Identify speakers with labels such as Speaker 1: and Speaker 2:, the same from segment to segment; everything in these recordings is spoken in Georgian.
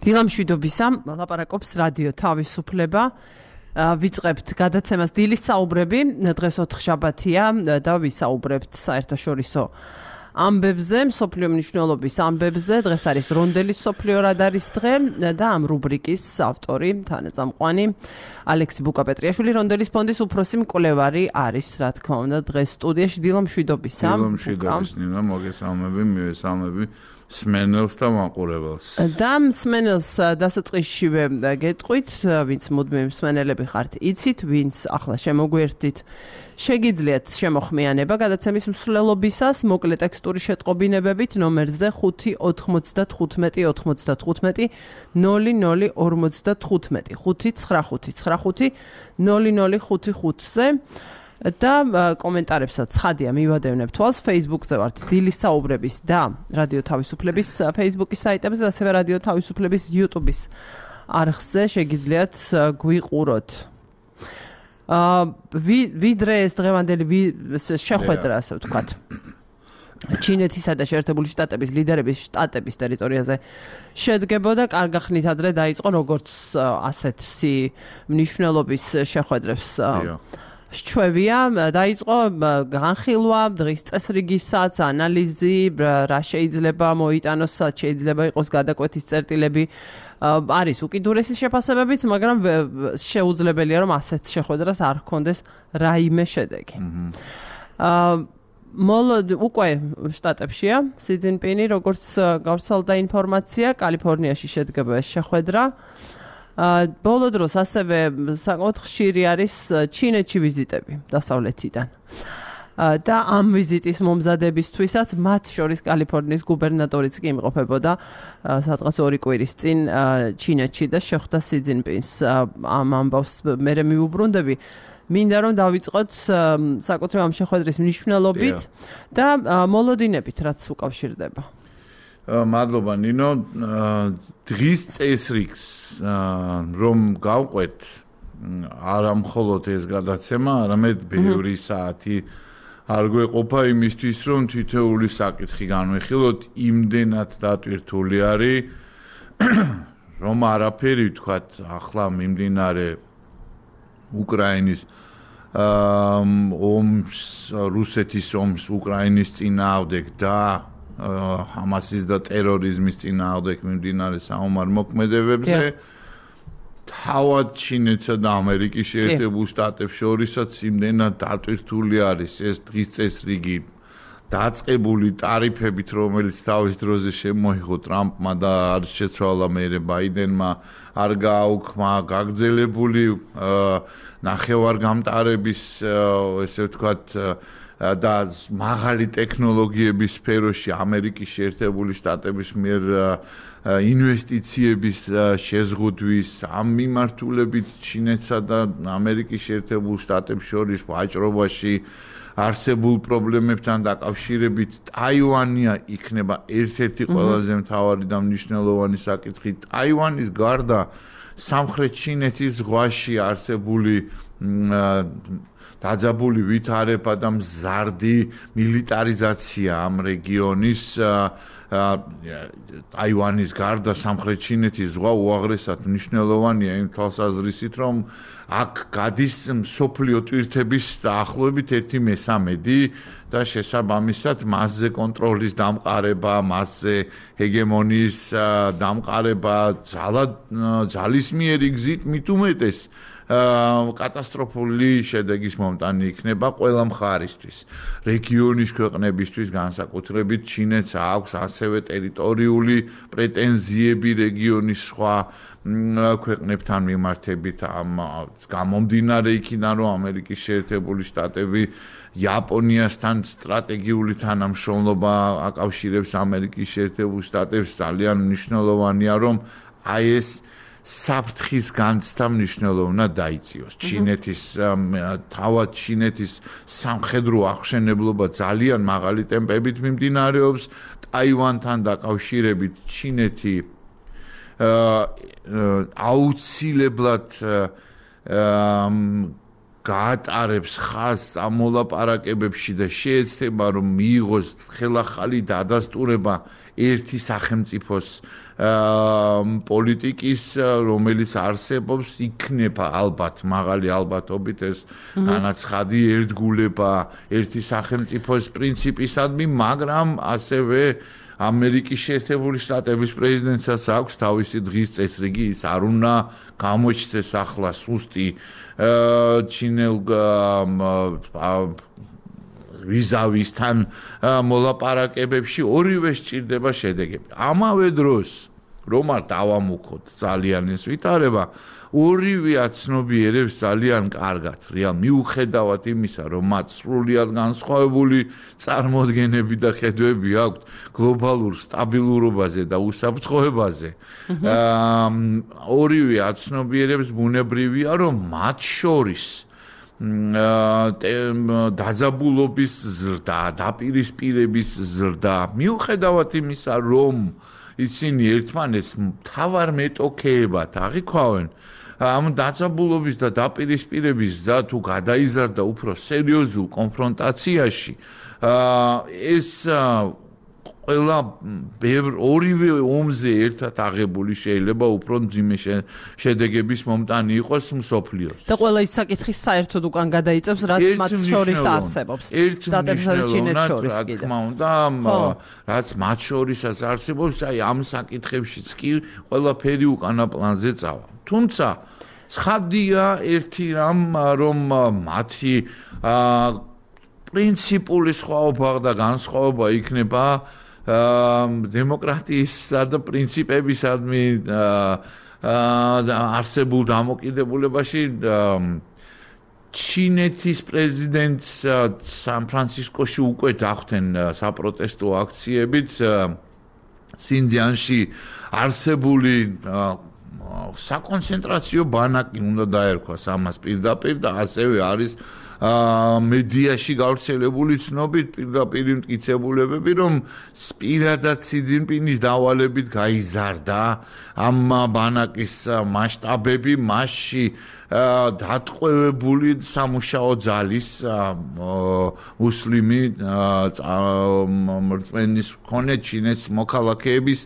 Speaker 1: დილამშვიდობისა, ლაპარაკობს რადიო თავისუფლება. ვიწყებთ გადაცემას დილის საუბრები. დღეს ოთხშაბათია და ვისაუბრებთ საერთაშორისო ამბებზე, მსოფლიო მნიშვნელობის ამბებზე. დღეს არის რონდელის მსოფლიო რადარის დღე და ამ რუბრიკის ავტორი, თანაწამყვანი ალექსი ბუკაპეტრიაშვილი, რონდელის ფონდის უფროსი მკვლევარი არის, რა თქმა უნდა, დღეს სტუდიაში. დილამშვიდობისა.
Speaker 2: დილამშვიდობის, ნინა, მოგესალმები, მივესალმები სმენელს და მაყურებელს.
Speaker 1: და მსმენელს დასაწყისშივე გეტყვით, ვინც მუდმივი მსმენელები ხართ, იცით, ვინც ახლა შემოგვერთით, შეგიძლიათ შემოხმიანება გადაცემის მსვლელობისას, მოკლე ტექსტური შეტყობინებებით ნომერზე 5 95 95 00 55 595 0055-ზე და კომენტარებსაც ცხადია მივადევნებ თვალს. Facebook-ზე ვართ დილის საუბრების და რადიო თავისუფლების Facebook-ის საიტებზე, ასევე რადიო თავისუფლების YouTube-ის არხზე შეგიძლიათ გვიყუროთ. ვიდრე ეს დღევანდელი შეხვედრა, ასე ვთქვათ, ჩინეთისა და შეერთებული შტატების ლიდერების შტატების ტერიტორიაზე შედგებოდა, კარგ ახსნით ადრე დაიწყო როგორც ასეთი მნიშვნელობის შეხვედრებს შჩევია, დაიწყო განხილვა, დღის წესრიგისაც, ანალიზი, რა შეიძლება მოიტანოს, შეიძლება იყოს გადაკვეთის წერტილები. არის უკიდურესი შეფასებებიც, მაგრამ შეუძლებელია, რომ ასეთ შეხვედრას არ ჰქონდეს რაიმე შედეგი. უკვე შტატებშია სი ძინპინი, როგორც გავრცელდა ინფორმაცია, კალიფორნიაში შედგება ეს შეხვედრა. ბოლო დროს ასევე საკმაოდ ხშირი არის ჩინეთში ვიზიტები დასავლეთიდან. და ამ ვიზიტის მომზადებისთვისაც მათ შორის კალიფორნიის გუბერნატორიც კი იმყოფებოდა სადღაც 2 კვირის წინ ჩინეთში და შეხვდა სი ძინპინს. ამ ამბავს მე მივუბრუნდები. მინდა რომ დავიწყოთ საკუთრივ ამ შეხვედრის მნიშვნელობით და მოლოდინებით, რაც უკავშირდება.
Speaker 2: მადლობა ნინო, დღის წესრიგს რომ გავყვეთ, არა მხოლოდ ეს გადაცემა, არამედ ბევრი საათი არ გვეყოფა იმისთვის, რომ თითოეული საკითხი განვიხილოთ, იმდენად დატვირთული არის, რომ არაფერი ვთქვათ, ახლა მიმდინარე უკრაინის ომს, რუსეთის ომს უკრაინის წინააღმდეგ და ჰამასის და ტერორიზმის წინააღმდეგ მიმდინარე საომარ მოქმედებებზე თავად ჩინეთსა და ამერიკის შეერთებულ შტატებს შორისაც იმდენად დატვირთული არის ეს დღის წესრიგი დაწყებული ტარიფებით, რომელიც თავის დროზე შემოიღო ტრამპმა და არ შეცვალა მერე ბაიდენმა, არ გააუქმა გაგრძელებული ნახევარგამტარების, ესე ვთქვათ, და მაღალი ტექნოლოგიების სფეროში ამერიკის შეერთებული შტატების მიერ ინვესტიციების შეზღუდვის, ამ მიმართულებით ჩინეთსა და ამერიკის შეერთებულ შტატებს შორის ვაჭრობაში არსებულ პრობლემებთან დაკავშირებით ტაივანია იქნება ერთ-ერთი ყველაზე მთავარი და მნიშვნელოვანი საკითხი. ტაივანის გარდა სამხრეთ ჩინეთის ზღვაში არსებული დაძაბული ვითარება და მზარდი მილიტარიზაცია ამ რეგიონის ტაივანის გარდა სამხრეთ ჩინეთის ზღვა უაღრესად მნიშვნელოვანია იმ თვალსაზრისით, რომ აქ გადის მსოფლიო ტვირთების დაახლოებით 1/3 და შესაბამისად მასზე კონტროლის დამყარება, მასზე ჰეგემონიის დამყარება ძალისმიერი გზით მით უმეტეს კატასტროფული შედეგის მომტანი იქნება ყველა მხარისთვის. რეგიონის ქვეყნებისთვის განსაკუთრებით ჩინეთს აქვს ასევე ტერიტორიული პრეტენზიები რეგიონის სხვა ქვეყნებთან მიმართებით, ამ გამომდინარე იქიდან, რომ ამერიკის შეერთებული შტატები იაპონიასთან სტრატეგიული თანამშრომლობა აკავშირებს ამერიკის შეერთებულ შტატებს, ძალიან მნიშვნელოვანია, რომ აი ეს საფრთხის განცდა მნიშვნელოვნად დაიწიოს. ჩინეთის თავად ჩინეთის სამხედრო აღშენებლობა ძალიან მაღალი ტემპებით მიმდინარეობს. ტაივანთან დაკავშირებით ჩინეთი აუცილებლად გაატარებს ხაზს ამ მოლაპარაკებებში და შეეცდება, რომ მიიღოს ხელახალი დადასტურება ერთი სახელმწიფოს პოლიტიკის რომელიც არსებობს იქნება ალბათ მაღალი ალბათობით ეს განაცხადი ერთგულება ერთი სახელმწიფოს პრინციპისადმი მაგრამ ასევე ამერიკის შეერთებული შტატების პრეზიდენტსაც აქვს თავისი დღის წესრიგი ის არ უნდა გამოჩნდეს ახლა სუსტი ჩინელ ვიზავისთან მოლაპარაკებებში ორივე სჭირდება შედეგები. ამავე დროს რომ არ დავამუქოთ ძალიან ეს ვითარება ორივე აცნობიერებს ძალიან კარგად რეალ მიუხედავად იმისა რომ მათ სრულიად განსხვავებული წარმოდგენები და ხედვები აქვთ გლობალურ სტაბილურობაზე და უსაფრთხოებაზე ორივე აცნობიერებს ბუნებრივია რომ მათ შორის დაძაბულობის ზრდა, დაპირისპირების ზრდა, მიუხედავად იმისა, რომ ისინი ერთმანეთს მთავარ მეტოქეებად აღიქვავენ, ამ დაძაბულობის და დაპირისპირების და თუ გადაიზარდა უფრო სერიოზულ კონფრონტაციაში, ეს ყველა ორივე ომზე ერთად აღებული შეიძლება უფრო მძიმე შედეგების მომტანი იყოს მსოფლიოს.
Speaker 1: და ყველა ის საკითხი საერთოდ უკან გადაიწევს, რაც მათ შორის არსებობს. შტატებსა და ჩინეთს შორის კიდე.
Speaker 2: თქმა უნდა, რაც მათ შორისაც არსებობს, აი ამ საკითხებშიც კი ყველაფერი უკანა პლანზე წავა. თუმცა ცხადია ერთი რამ, რომ მათი პრინციპული სხვაობა და განსხვავება იქნება დემოკრატიისა და პრინციპებისადმი არსებულ დამოკიდებულებაში ჩინეთის პრეზიდენტს სან-ფრანცისკოში უკვე დახვდნენ საპროტესტო აქციებით სინძიანში არსებული საკონცენტრაციო ბანაკი უნდა დაერქვას ამას პირდაპირ და ასევე არის მედიაში გავრცელებული ცნობით პირდაპირ მტკიცებულებები რომ პირადად სი ძინპინის დავალებით გაიზარდა ამ ბანაკის მასშტაბები მასში დატყვევებული სამუშაო ძალის მუსლიმი მრწმენის მქონე ჩინეთის მოქალაქეების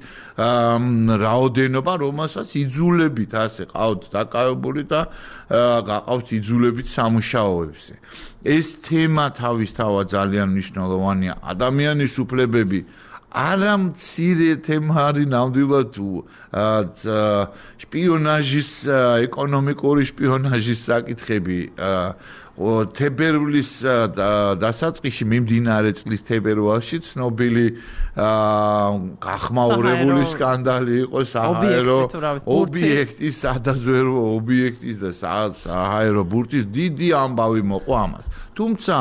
Speaker 2: რაოდენობა რომელსაც იძულებით ასე ყავთ დაკავებული და გაყავთ იძულებით სამუშაოებზე ეს თემა თავისთავად ძალიან მნიშვნელოვანია ადამიანის უფლებები არა მცირე თემა არის ნამდვილად შპიონაჟის ეკონომიკური შპიონაჟის საკითხები თებერვლის დასაწყისში მიმდინარე წლის თებერვალში ცნობილი გახმაურებული სკანდალი იყო საჰაერო ობიექტის სადაზვერვო ობიექტის და საჰაერო ბურთის დიდი ამბავი მოყვა ამას თუმცა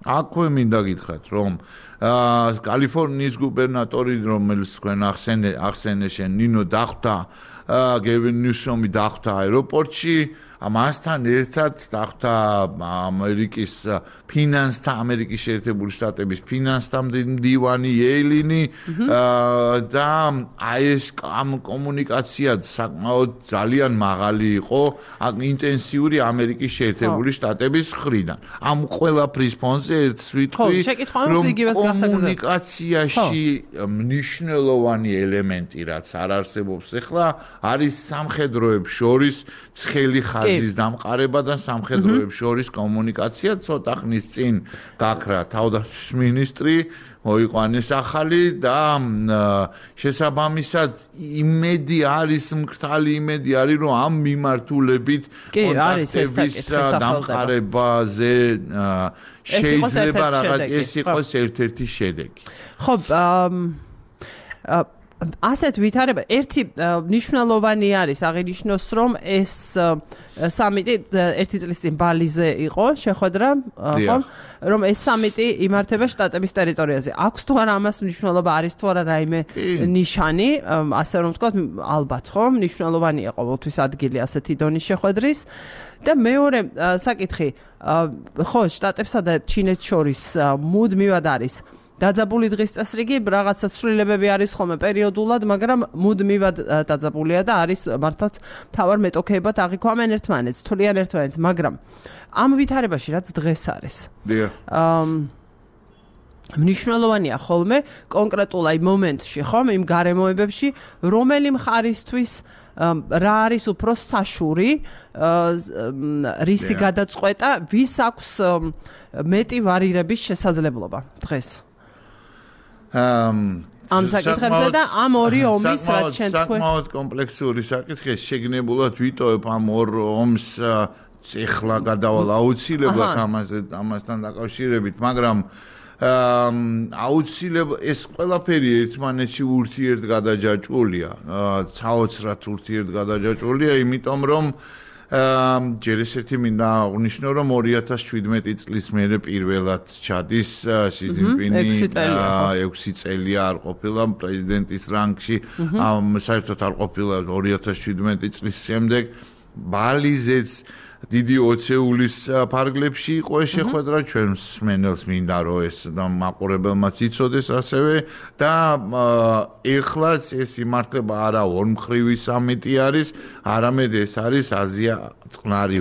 Speaker 2: აქვე მინდა გითხრათ რომ კალიფორნიის გუბერნატორი რომელიც თქვენ ახსენე ნინო დახვდა გევინ ნიუსომი დახვდა აეროპორტში ამასთან ერთად დახვდა ამერიკის შეერთებული შტატების ფინანსთა მდივანი იელინი და ეს კომუნიკაცია საკმაოდ ძალიან მაღალი იყო ინტენსიური ამერიკის შეერთებული შტატების მხრიდან ამ ყველაფრის ფონზე ერთს ვიტყვი რომ კომუნიკაციაში მნიშვნელოვანი ელემენტი რაც არ არსებობს ახლა არის სამხედროებს შორის ცხელი ხაზის დამყარება და სამხედროებს შორის კომუნიკაცია ცოტა ხნის წინ გაქრა თავდაცვის მინისტრი მოიყვანეს ახალი და შესაბამისად იმედი არის მკრთალი იმედი არის რომ ამ მიმართულებით კონტაქტების დამყარებაზე შეიძლება რაღაც ეს იყოს ერთ-ერთი შედეგი
Speaker 1: ხო ასეთ ვითარება ერთი მნიშვნელოვანი არის აღინიშნოს რომ ეს სამიტი ერთი წლის წინ ბალიზე იყო შეხვედრა ხო რომ ეს სამიტი იმართება შტატების ტერიტორიაზე აქვს თუ არა ამას მნიშვნელობა არის თუ არა რაიმე ნიშანი ასე რომ ვთქვათ ალბათ ხო მნიშვნელოვანია ყოველთვის ადგილი ასეთი დონის შეხვედრის და მეორე საკითხი ხო შტატებსა და ჩინეთს შორის მუდმივად არის დაძაბული დღის წესრიგი რაღაცა ცვლილებები არის ხოლმე პერიოდულად, მაგრამ მუდმივად დაძაბულია და არის მართლაც მთავარ მეტოქეებად აღიქვამენ ერთმანეთს, თვლიან ერთმანეთს, მაგრამ ამ ვითარებაში რაც დღეს არის. მნიშვნელოვანია ხოლმე კონკრეტულ აი მომენტში, ხომ, იმ გარემოებებში, რომელი მხარისთვის რა არის უფრო საშური რისი გადაწყვეტა, ვის აქვს მეტი ვარირების შესაძლებლობა დღეს. ამ საკითხებზე და ამ ორი ომის რაც შენ თქვი.
Speaker 2: საკმაოდ კომპლექსური საკითხია, შეგნებულად ვიტოვებ ამ ორ ომს ეხლა გადავალ აუცილებლად ამასთან დაკავშირებით, მაგრამ აუცილებლად ეს ყველაფერი ერთმანეთში ურთიერთგადაჯაჭვულია, საოცრად ურთიერთგადაჯაჭვულია, იმიტომ რომ ჯერ ესეთი მინდა აღნიშნო, რომ 2017 წლის მერე პირველად ჩადის ში ძინპინი 6 წელია არ ყოფილა პრეზიდენტის რანგში, საერთოდ არ ყოფილა 2017 წლის შემდეგ ბალიზეც დიდი ოცეულის ფარგლებში იყო ეს შეხვედრა, ჩვენ მსმენელს მინდა რომ ეს მაყურებელმაც იცოდეს ასევე და ეხლაც ეს იმართება არა ორმხრივი სამიტი არის, არამედ ეს არის აზია წყნარი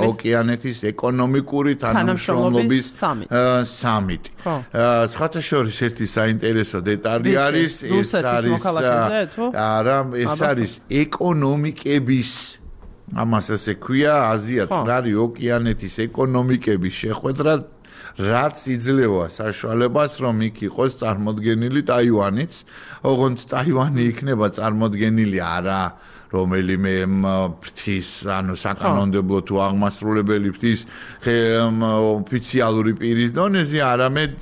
Speaker 2: ოკეანეთის ეკონომიკური თანამშრომლობის სამიტი. სხვათა შორის ერთი საინტერესო დეტალი არის, ეს არის ეკონომიკების ამას ესე ქვია აზია წყნარი ოკეანეთის ეკონომიკების შეხვედრა, რაც იძლევა საშუალებას, რომ იქ იყოს წარმოდგენილი ტაივანიც, ოღონდ ტაივანი იქნება წარმოდგენილი არა რომელიმე ფრთის, ანუ საკანონმდებლო თუ აღმასრულებელი ფრთის ოფიციალური პირის დონეზე, არამედ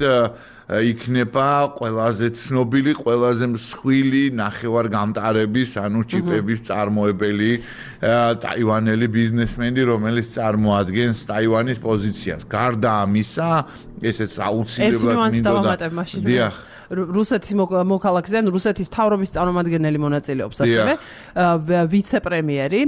Speaker 2: იქნება ყველაზე ცნობილი, ყველაზე მსხვილი ნახევარგამტარების, ანუ ჩიპების წარმოებელი ტაივანელი ბიზნესმენი, რომელიც წარმოადგენს ტაივანის პოზიციას. გარდა ამისა, ესეც აუცილებლად მინდოდა.
Speaker 1: რუსეთის მოქალაქეზე, რუსეთის მთავრობის წარმომადგენელი მონაწილეობს ასევე ვიცე-პრემიერი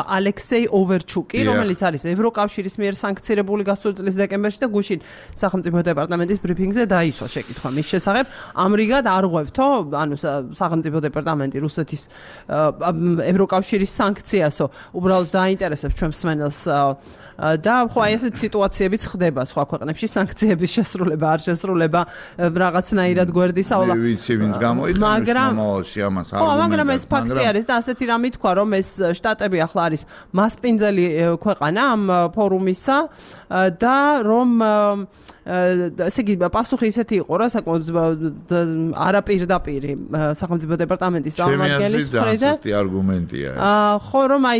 Speaker 1: ალექსეი ოვერჩუკი, რომელიც არის ევროკავშირის მიერ სანქცირებული გასული წლის დეკემბერში და გუშინ სახელმწიფო დეპარტამენტის ბრიფინგზე დაისვა შეკითხვა მის შესახებ. ამრიგად არ ღვევთო, ანუ სახელმწიფო დეპარტამენტი რუსეთის ევროკავშირის სანქციასო, უბრალოდ დაინტერესებს ჩვენ მსმენელს და ხო აი ესეთ სიტუაციებიც ხდება სხვა ქვეყნებში სანქციების შესრულება, არ შესრულება რაღაცნაირად გვერდის ავლა.
Speaker 2: მე ვიცი ვინც გამოიყენებს მომავალში ამას არგუმენტად.
Speaker 1: მაგრამ ეს ფაქტი არის და ასეთი რამე თქვა, რომ ეს შტატები ახლა არის მასპინძელი ქვეყანა ამ ფორუმისა და რომ ესე იგი პასუხი ისეთი იყო რა საკმაოდ არაპირდაპირი სახელმწიფო დეპარტამენტის წარმომადგენლის მხრიდან.
Speaker 2: ეს არგუმენტია ეს.
Speaker 1: ხო რომ აი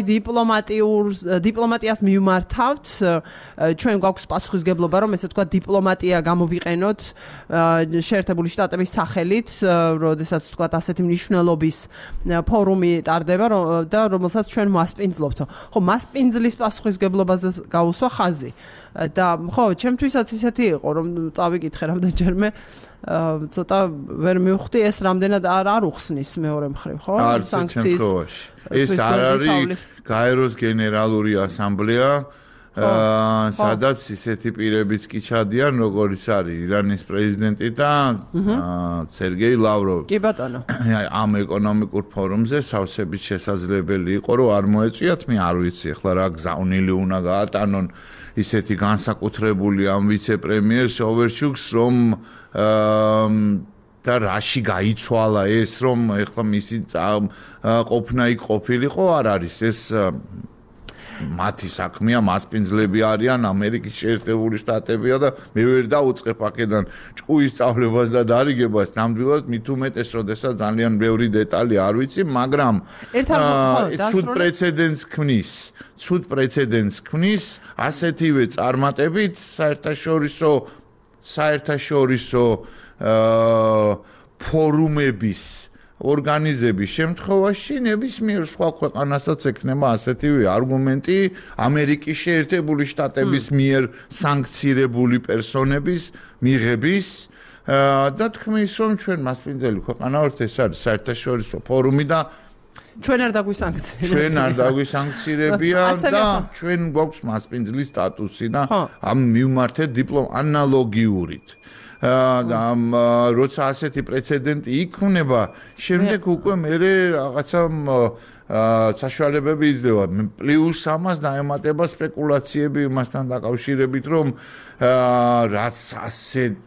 Speaker 1: დიპლომატიას მიმართავთ, ჩვენ გვაქვს პასუხისგებლობა რომ ესე თქვა დიპლომატია გამოვიყენოთ შეერთებული შტატების სახელით, როდესაც თქვა ასეთი მნიშვნელობის ფორუმი ტარდება და რომელსაც ჩვენ მასპინძლობთო. ხო, მასპინძლის პასუხისგებლობაზე გაუსვა ხაზი. და ხო, ჩემთვისაც ისეთი იყო, რომ წავიკითხე რამდენჯერმე ცოტა ვერ მივხვდი ეს რამდენად არ უხსნის მეორე მხრივ, ხო?
Speaker 2: სანქციის. ეს არ არის გაეროს გენერალური ასამბლეა, სადაც ისეთი პირებიც კი ჩადიან, როგორც არის ირანის პრეზიდენტი და სერგეი ლავროვი.
Speaker 1: კი ბატონო.
Speaker 2: ამ ეკონომიკურ ფორუმზე სავსებით შესაძლებელი იყო, რომ არ მოეწვიათ, მე არ ვიცი, ახლა რა გზავნილი უნდა გაატანონ ისეთი განსაკუთრებული ამ ვიცე-პრემიერს ოვერჩუკს, რომ და რაში გაიცვალა ეს, რომ ახლა მისი ყოფნა იქ ყოფილიყო, არ არის ეს მათი საქმეა, მასპინძლები არიან, ამერიკის შეერთებული შტატებია და მე ვერ დაუწყებ აქედან ჭკუის სწავლებას და დარიგებას, ნამდვილად მით უმეტეს, როდესაც ძალიან ბევრი დეტალი არ ვიცი, მაგრამ ცუდ პრეცედენტს ქმნის ასეთივე წარმატებით საერთაშორისო ფორუმების ორგანიზების შემთხვევაში ნებისმიერ სხვა ქვეყანასაც ექნება ასეთივე არგუმენტი ამერიკის შეერთებული შტატების მიერ სანქცირებული პერსონების მიღების და თქმის, რომ ჩვენ მასპინძელი ქვეყანა ვართ, ეს არის საერთაშორისო ფორუმი და
Speaker 1: ჩვენ არ დაგვისანქცირებია.
Speaker 2: ჩვენ არ დაგვისანქცირებია და ჩვენ გვაქვს მასპინძლის სტატუსი და ამ მივმართეთ ანალოგიურით. როცა ასეთი პრეცედენტი იქნება, შემდეგ უკვე მე რაღაცა საშუალებები იძლევა. პლუს ამას დაემატება სპეკულაციები იმასთან დაკავშირებით, რომ რაც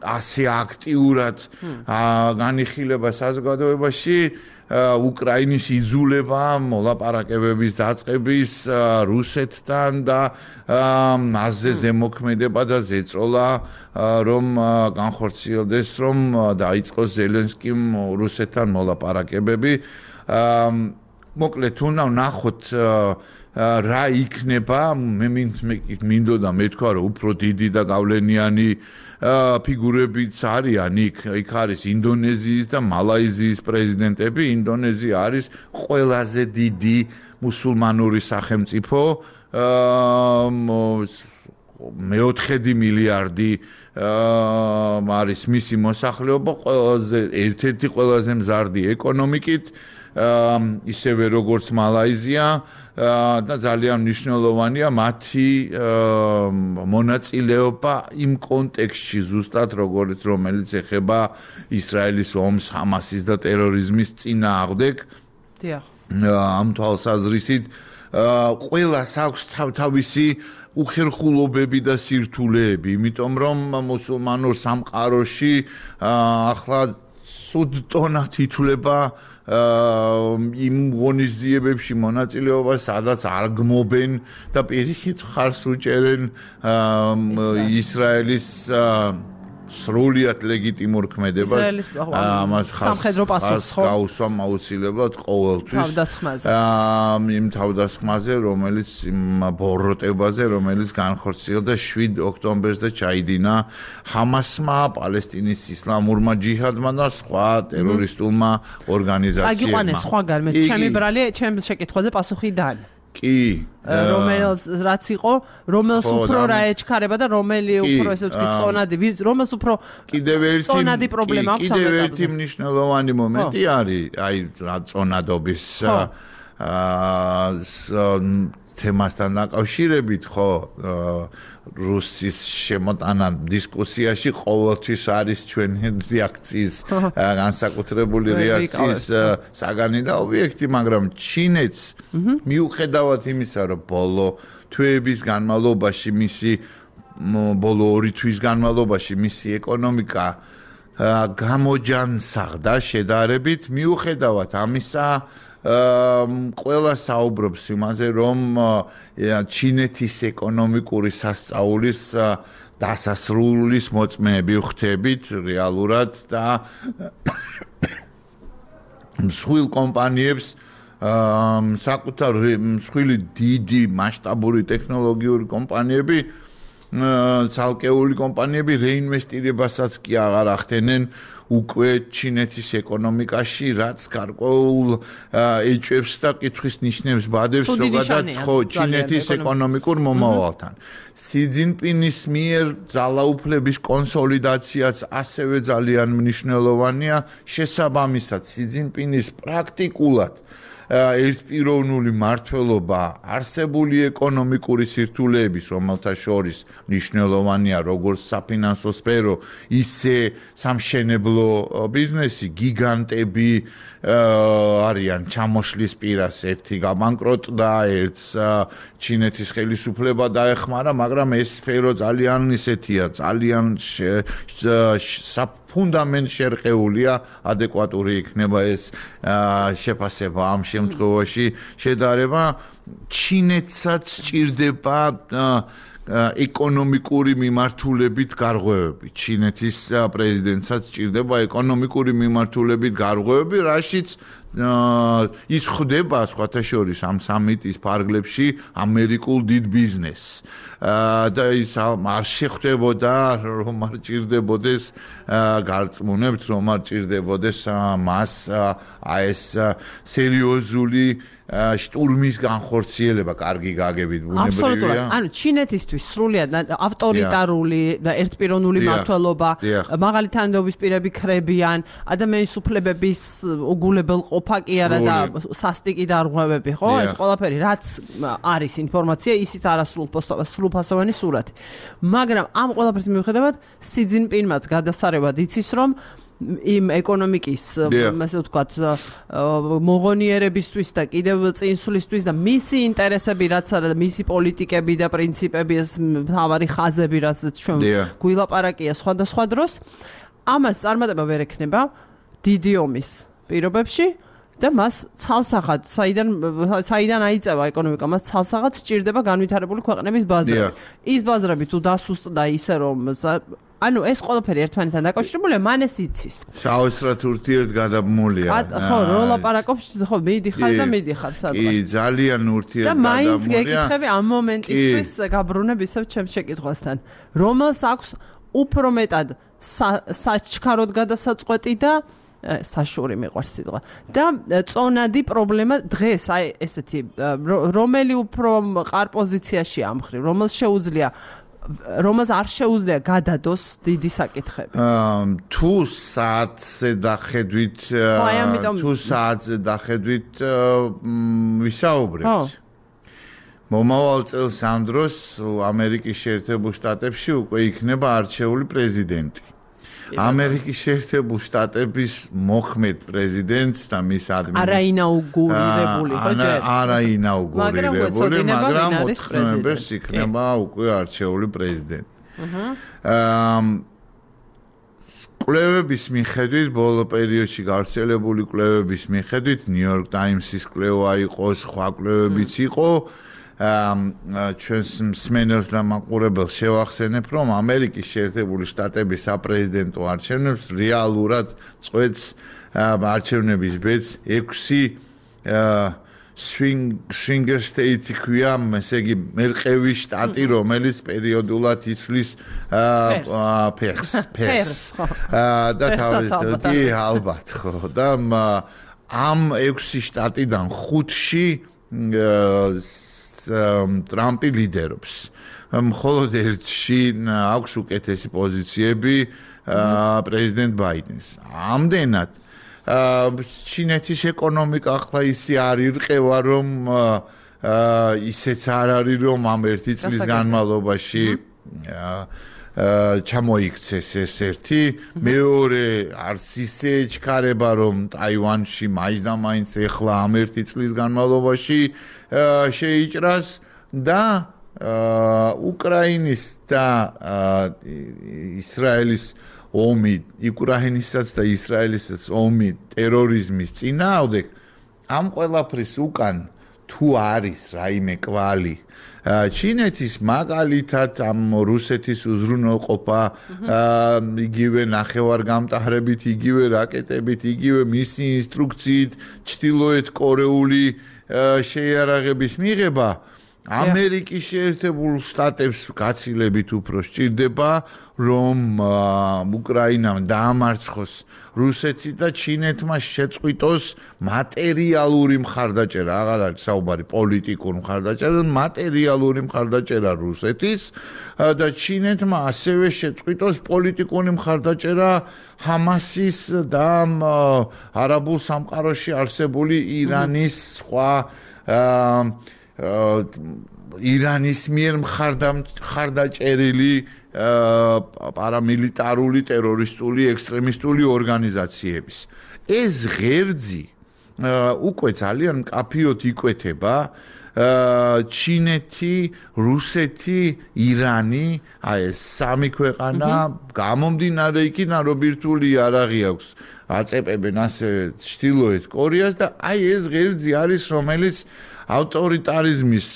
Speaker 2: ასე აქტიურად განიხილება საზოგადოებაში უკრაინის იძულება მოლაპარაკებების დაწყების რუსეთთან და მასზე ზემოქმედება და ზეწოლა რომ განხორციელდეს რომ დაიწყოს ზელენსკიმ რუსეთთან მოლაპარაკებები მოკლედ უნდა ვნახოთ რა იქნება მე მინდოდა მეთქვა რომ უფრო დიდი და გავლენიანი ფიგურებიც არიან იქ არის ინდონეზიის და მალაიზიის პრეზიდენტები ინდონეზია არის ყველაზე დიდი მუსულმანური სახელმწიფო მე-4 მილიარდი არის მისი მოსახლეობა ერთ-ერთი ყველაზე მზარდი ეკონომიკით ისევე როგორც მალაიზია და ძალიან მნიშვნელოვანია მათი მონაწილეობა იმ კონტექსტში ზუსტად რომელიც ეხება ისრაელის ომს ჰამასის და ტერორიზმის წინააღმდეგ.
Speaker 1: დიახ.
Speaker 2: ამ თვალსაზრისით ყველას აქვს თავისი უხერხულობები და სირთულეები, იმიტომ რომ მუსულმანურ სამყაროში ახლა სუდტონად ითვლება იმ ღონისძიებებში მონაწილეობა, სადაც არ გმობენ და პირიქით ხარს უჭერენ ისრაელის სრულიად ლეგიტიმურ ქმედებას ამას
Speaker 1: სამხედრო პასუხს
Speaker 2: გაუსვამ აუცილებლად ყოველთვის
Speaker 1: თავდასხმაზე
Speaker 2: იმ თავდასხმაზე რომელიც ბოროტებაზე რომელიც განხორციელდა 7 ოქტომბერს და ჩაიდინა ჰამასმა პალესტინის ისლამურმა ჯიჰადმა და სხვა ტერორისტულმა ორგანიზაციებმა
Speaker 1: წაგიყვანეს სხვაგან მე ჩემი ბრალი ჩემს შეკითხვაზე პასუხი დან
Speaker 2: კი
Speaker 1: რომელს რაც იყო რომელს უფრო რა ეჩქარება და რომელი უფრო ესე ვთქვი წონადი რომელს უფრო
Speaker 2: კიდევ
Speaker 1: პრობლემა აქვს
Speaker 2: კიდევ ერთი მნიშვნელოვანი მომენტი არის აი რა წონადობის თემასთან დაკავშირებით ხო რუსის შემოტანა დისკუსიაში ყოველთვის არის ჩვენი რეაქციის განსაკუთრებული რეაქციის საგანი და ობიექტი, მაგრამ ჩინეთს მიუხედავად იმისა, რომ ბოლო თვეების განმავლობაში ბოლო 2 თვის განმავლობაში მისი ეკონომიკა გამოჯანსაღდა შედარებით, მიუხედავად ამისა ყველა საუბრობს იმაზე, რომ ჩინეთის ეკონომიკური სასწაულის დასასრულის მოწმეები ვხდებით რეალურად და მსხვილ კომპანიებს საკუთარ მსხვილი დიდი მასშტაბური ტექნოლოგიური კომპანიები ცალკეული კომპანიები რეინვესტირებასაც კი აღარ ახდენენ უკვე ჩინეთის ეკონომიკაში, რაც გარკვეულ ეჭვებს და კითხვის ნიშნებს ბადებს ზოგადად ხო ჩინეთის ეკონომიკურ მომავალთან. სი ძინპინის მიერ ძალაუფლების კონსოლიდაციაც ასევე ძალიან მნიშვნელოვანია, შესაბამისად სი ძინპინის პრაქტიკულად ერთპიროვნული მმართველობა არსებული ეკონომიკური სირთულეების, რომელთა შორის მნიშვნელოვანია როგორც საფინანსო სფერო, ისე სამშენებლო ბიზნესი, გიგანტები არიან ჩამოშლის პირას, ერთი გაბანკროტდა, ერთს ჩინეთის ხელისუფლება დაეხმარა, მაგრამ ეს სფერო ძალიან ისეთია, ძალიან ფუნდამენტ შერყეულია, ადეკვატური იქნება ეს შეფასება ამ შემთხვევაში შედარება ჩინეთსაც სჭირდება ეკონომიკური მიმართულებით გარღვევები. ჩინეთის პრეზიდენტსაც სჭირდება ეკონომიკური მიმართულებით გარღვევები, რაშიც ის ხდება სხვათა შორის ამ სამიტის ფარგლებში ამერიკულ დიდ ბიზნესს. და ის არ შეხვდებოდა რომ არ ჭირდებოდეს გარწმუნებთ რომ არ ჭირდებოდეს მას ეს სერიოზული შტურმის განხორციელება კარგი გაგებით ბუნებრივია.
Speaker 1: ანუ ჩინეთისთვის სრულიად ავტორიტარული და ერთპიროვნული მმართველობა, მაღალი თანამდებობის პირები ქრებიან, ადამიანის უფლებების უგულებელყოფა კი არა და სასტიკი დარღვევები, ხო? ეს ყველაფერი რაც არის ინფორმაცია, ისიც არასრულფასოვანი სურათი. მაგრამ ამ ყველაფრის მიუხედავად სი ძინპინმაც გადასარევად იცის, რომ იმ ეკონომიკის ასე ვთქვათ მოგონიერებისთვის და კიდევ წინსვლისთვის და მისი ინტერესები რაც არის და მისი პოლიტიკები და პრინციპები ეს მთავარი ხაზები რაც ჩვენ გვილაპარაკია სხვადასხვა დროს ამას წარმატება ვერ ექნება დიდი ომის პირობებში და მას ცალსახად საიდან აიწევა ეკონომიკა მას ცალსახად სჭირდება განვითარებული ქვეყნების ბაზრები ის ბაზრები თუ დასუსტდა ისე რომ ანუ ეს ყველაფერი ერთმანეთთან დაკავშირებულია მან ეს იცის
Speaker 2: საოცრად ურთიერთგადაბმულია
Speaker 1: ხო რო ლაპარაკობს ხო მიდიხარ და მიდიხარ სადღაც
Speaker 2: კი ძალიან ურთიერთგადაბმულია
Speaker 1: და მაინც გეკითხები ამ მომენტისთვის გაბრუნებ ისევ ჩემს შეკითხვასთან რომელს აქვს უფრო მეტად საჩქაროდ გადასაწყვეტი და საშური მიყვარს სიტყვა და წონადი პრობლემა დღეს აი ესეთი რომელი უფრო ყარ პოზიციაში ამხრივ რომელს არ შეუძლია გადადოს დიდი საკითხები
Speaker 2: თუ საათზე დახედვით ვისაუბრებთ მომავალ წელს ამ დროს ამერიკის შეერთებულ შტატებში უკვე იქნება არჩეული პრეზიდენტი ამერიკის შეერთებულ შტატების მოქმედ პრეზიდენტს და მის
Speaker 1: არაინაუგურირებული
Speaker 2: მაგრამ 4 ნოემბერს იქნება უკვე არჩეული პრეზიდენტი. კვლევების მიხედვით ბოლო პერიოდში გავრცელებული კვლევების მიხედვით ნიუ-იორკ ტაიმსის კვლევა იყო, სხვა კვლევებიც იყო ჩვენს მსმენელს და მაყურებელს შევახსენებ, რომ ამერიკის შეერთებული შტატების საპრეზიდენტო არჩევნებს რეალურად წყვეტს არჩევნების ბედს 6 swinger state ქვია, ესე იგი მერყევი შტატი, რომელიც პერიოდულად იცვლის ფერს. და თავისთავად ალბათ ხო და ამ 6 შტატიდან 5-ში ტრამპი ლიდერობს. მხოლოდ ერთში აქვს უკეთესი პოზიციები პრეზიდენტ ბაიდენს. ამდენად ჩინეთის ეკონომიკა ახლა ისე არ ირყევა, რომ ისეც არ არის, რომ ამ ერთი წლის განმავლობაში ჩამოიქცეს ეს ერთი, მეორე არც ისე ეჩქარება, რომ ტაივანში მაინც და მაინც ეხლა ამ ერთი წლის განმავლობაში შეიჭრას და უკრაინის და ისრაელის ომი, უკრაინისაც და ისრაელისაც ომი ტერორიზმის წინააღმდეგ ამ ყველაფრის უკან თუ არის რაიმე კვალი ჩინეთის მაგალითად ამ რუსეთის უზრუნველყოფა იგივე ნახევარგამტავრებით, იგივე რაკეტებით, იგივე მისი ინსტრუქციით ჩრდილოეთ კორეული შეიარაღების მიღება ამერიკის შეერთებულ შტატებს გაცილებით უფრო სჭირდება, რომ უკრაინამ დაამარცხოს რუსეთი და ჩინეთმა შეწყვიტოს მატერიალური მხარდაჭერა, აღარ არის საუბარი პოლიტიკური მხარდაჭერა, მატერიალური მხარდაჭერა რუსეთის და ჩინეთმა ასევე შეწყვიტოს პოლიტიკური მხარდაჭერა ჰამასის და არაბულ სამყაროში არსებული ირანის სხვა ირანის მიერ მხარდაჭერილი პარამილიტარული ტერორისტული ექსტრემისტული ორგანიზაციების. ეს ღერძი უკვე ძალიან მკაფიოდ იკვეთება ჩინეთი, რუსეთი, ირანი, აი ეს სამი ქვეყანა გამომდინარე იქიდან რომ ბირთვული იარაღი აქვს აწეპებენ ასე ჩრდილოეთ კორეას და აი ეს ღერძი არის რომელიც ავტორიტარიზმის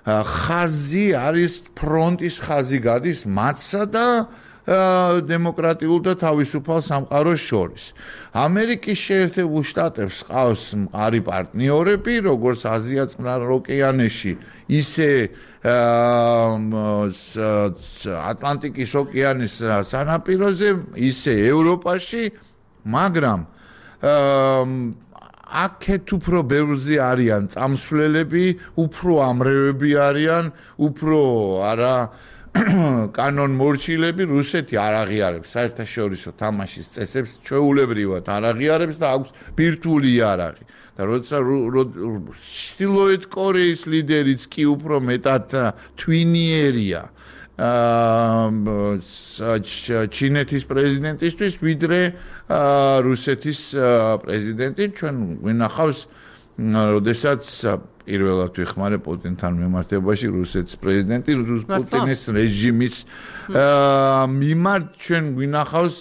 Speaker 2: ხაზი არის ფრონტის ხაზი გადის მათსა და დემოკრატიულ და თავისუფალ სამყაროს შორის. ამერიკის შეერთებულ შტატებს ყავს მყარი პარტნიორები, როგორც აზია-წყნარ ოკეანეში, ისე ატლანტიკის ოკეანის სანაპიროზე, ისე ევროპაში, მაგრამ აქეთ უფრო ბევრზე არიან წამსვლელები, უფრო ამრევები არიან, უფრო არა კანონმორჩილები, რუსეთი არ აღიარებს საერთაშორისო თამაშის წესებს, ჩვეულებრივად არ აღიარებს და აქვს ბირთვული იარაღი. და როცა ჩრდილოეთ კორეის ლიდერიც კი უფრო მეტად თვინიერია ჩინეთის პრეზიდენტისთვის, ვიდრე რუსეთის პრეზიდენტი. ჩვენ გვინახავს, როდესაც პირველად ვიხმარე პუტინთან მიმართებაში რუსეთის პრეზიდენტი, პუტინის რეჟიმის მიმართ ჩვენ გვინახავს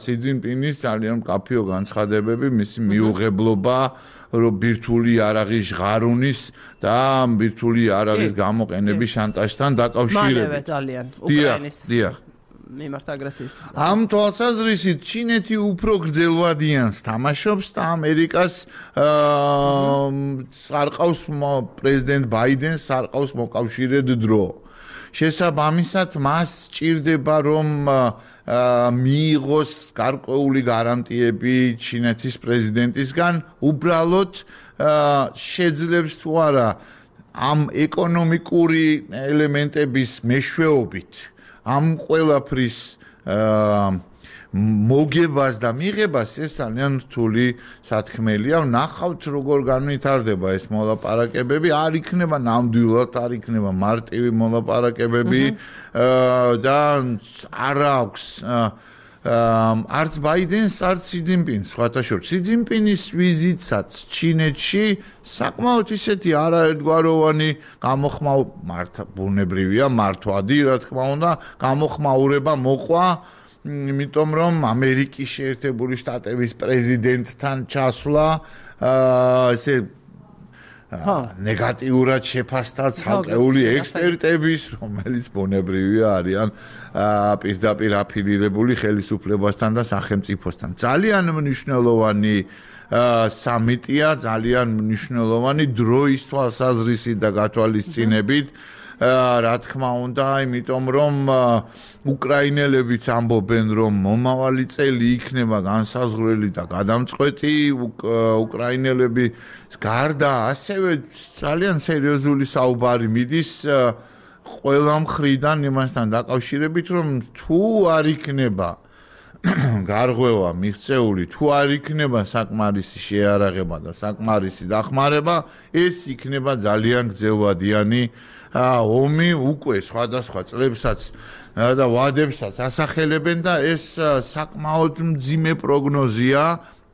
Speaker 2: სი ძინპინის ძალიან მკაფიო განცხადებები, მისი მიუღებლობა ბირთვული იარაღის ჟღარუნის და ბირთვული იარაღის გამოყენების შანტაჟთან დაკავშირებით.
Speaker 1: მალევე ძალიან უკრაინის
Speaker 2: დიახ.
Speaker 1: მიმართ აგრესიის.
Speaker 2: ამ თვალსაზრისით ჩინეთი უფრო გრძელვადიანს თამაშობს და ამერიკას სარყავს პრეზიდენტ ბაიდენს სარყავს მოკავშირედ დრო. შესაბამისად მას სჭირდება რომ მიიღოს გარკვეული გარანტიები ჩინეთის პრეზიდენტისგან, უბრალოდ შეძლებს თუ არა ამ ეკონომიკური ელემენტების მეშვეობით ამ ყველაფრის მოგებას და მიღებას ეს ძალიან რთული სათქმელია. ნახავთ როგორ განვითარდება ეს მოლაპარაკებები, არ იქნება ნამდვილად, არ იქნება მარტივი მოლაპარაკებები და არ აქვს არც ბაიდენს, არც სი ძინპინს, სხვათა შორის. სი ძინპინის ვიზიტსაც ჩინეთში საკმაოდ ისეთი არაერთგვაროვანი ბუნებრივია, მართვადი, რა თქმა უნდა, გამოხმაურება მოყვა, იმიტომ რომ ამერიკის შეერთებული შტატების პრეზიდენტთან ჩასვლა ესე ნეგატიურად შეფასდა ცალკეული ექსპერტების, რომელიც ბუნებრივია არიან პირდაპირ აფილირებული ხელისუფლებასთან და სახელმწიფოსთან. ძალიან მნიშვნელოვანი სამიტია, ძალიან მნიშვნელოვანი დროის თვალსაზრისით და გათვალისწინებით. რა თქმა უნდა, იმიტომ რომ უკრაინელებიც ამბობენ, რომ მომავალი წელი იქნება განსაზღვრელი და გადამწყვეტი უკრაინელების გარდა, ასევე ძალიან სერიოზული საუბარი მიდის ყველა მხრიდან იმასთან დაკავშირებით, რომ თუ არ იქნება გარღვევა მიღწეული, თუ არ იქნება საკმარისი შეარაღება და საკმარისი დახმარება, ეს იქნება ძალიან გრძელვადიანი ომი უკვე სხვადასხვა წლებსაც და ვადებსაც ასახელებენ და ეს საკმაოდ მძიმე პროგნოზია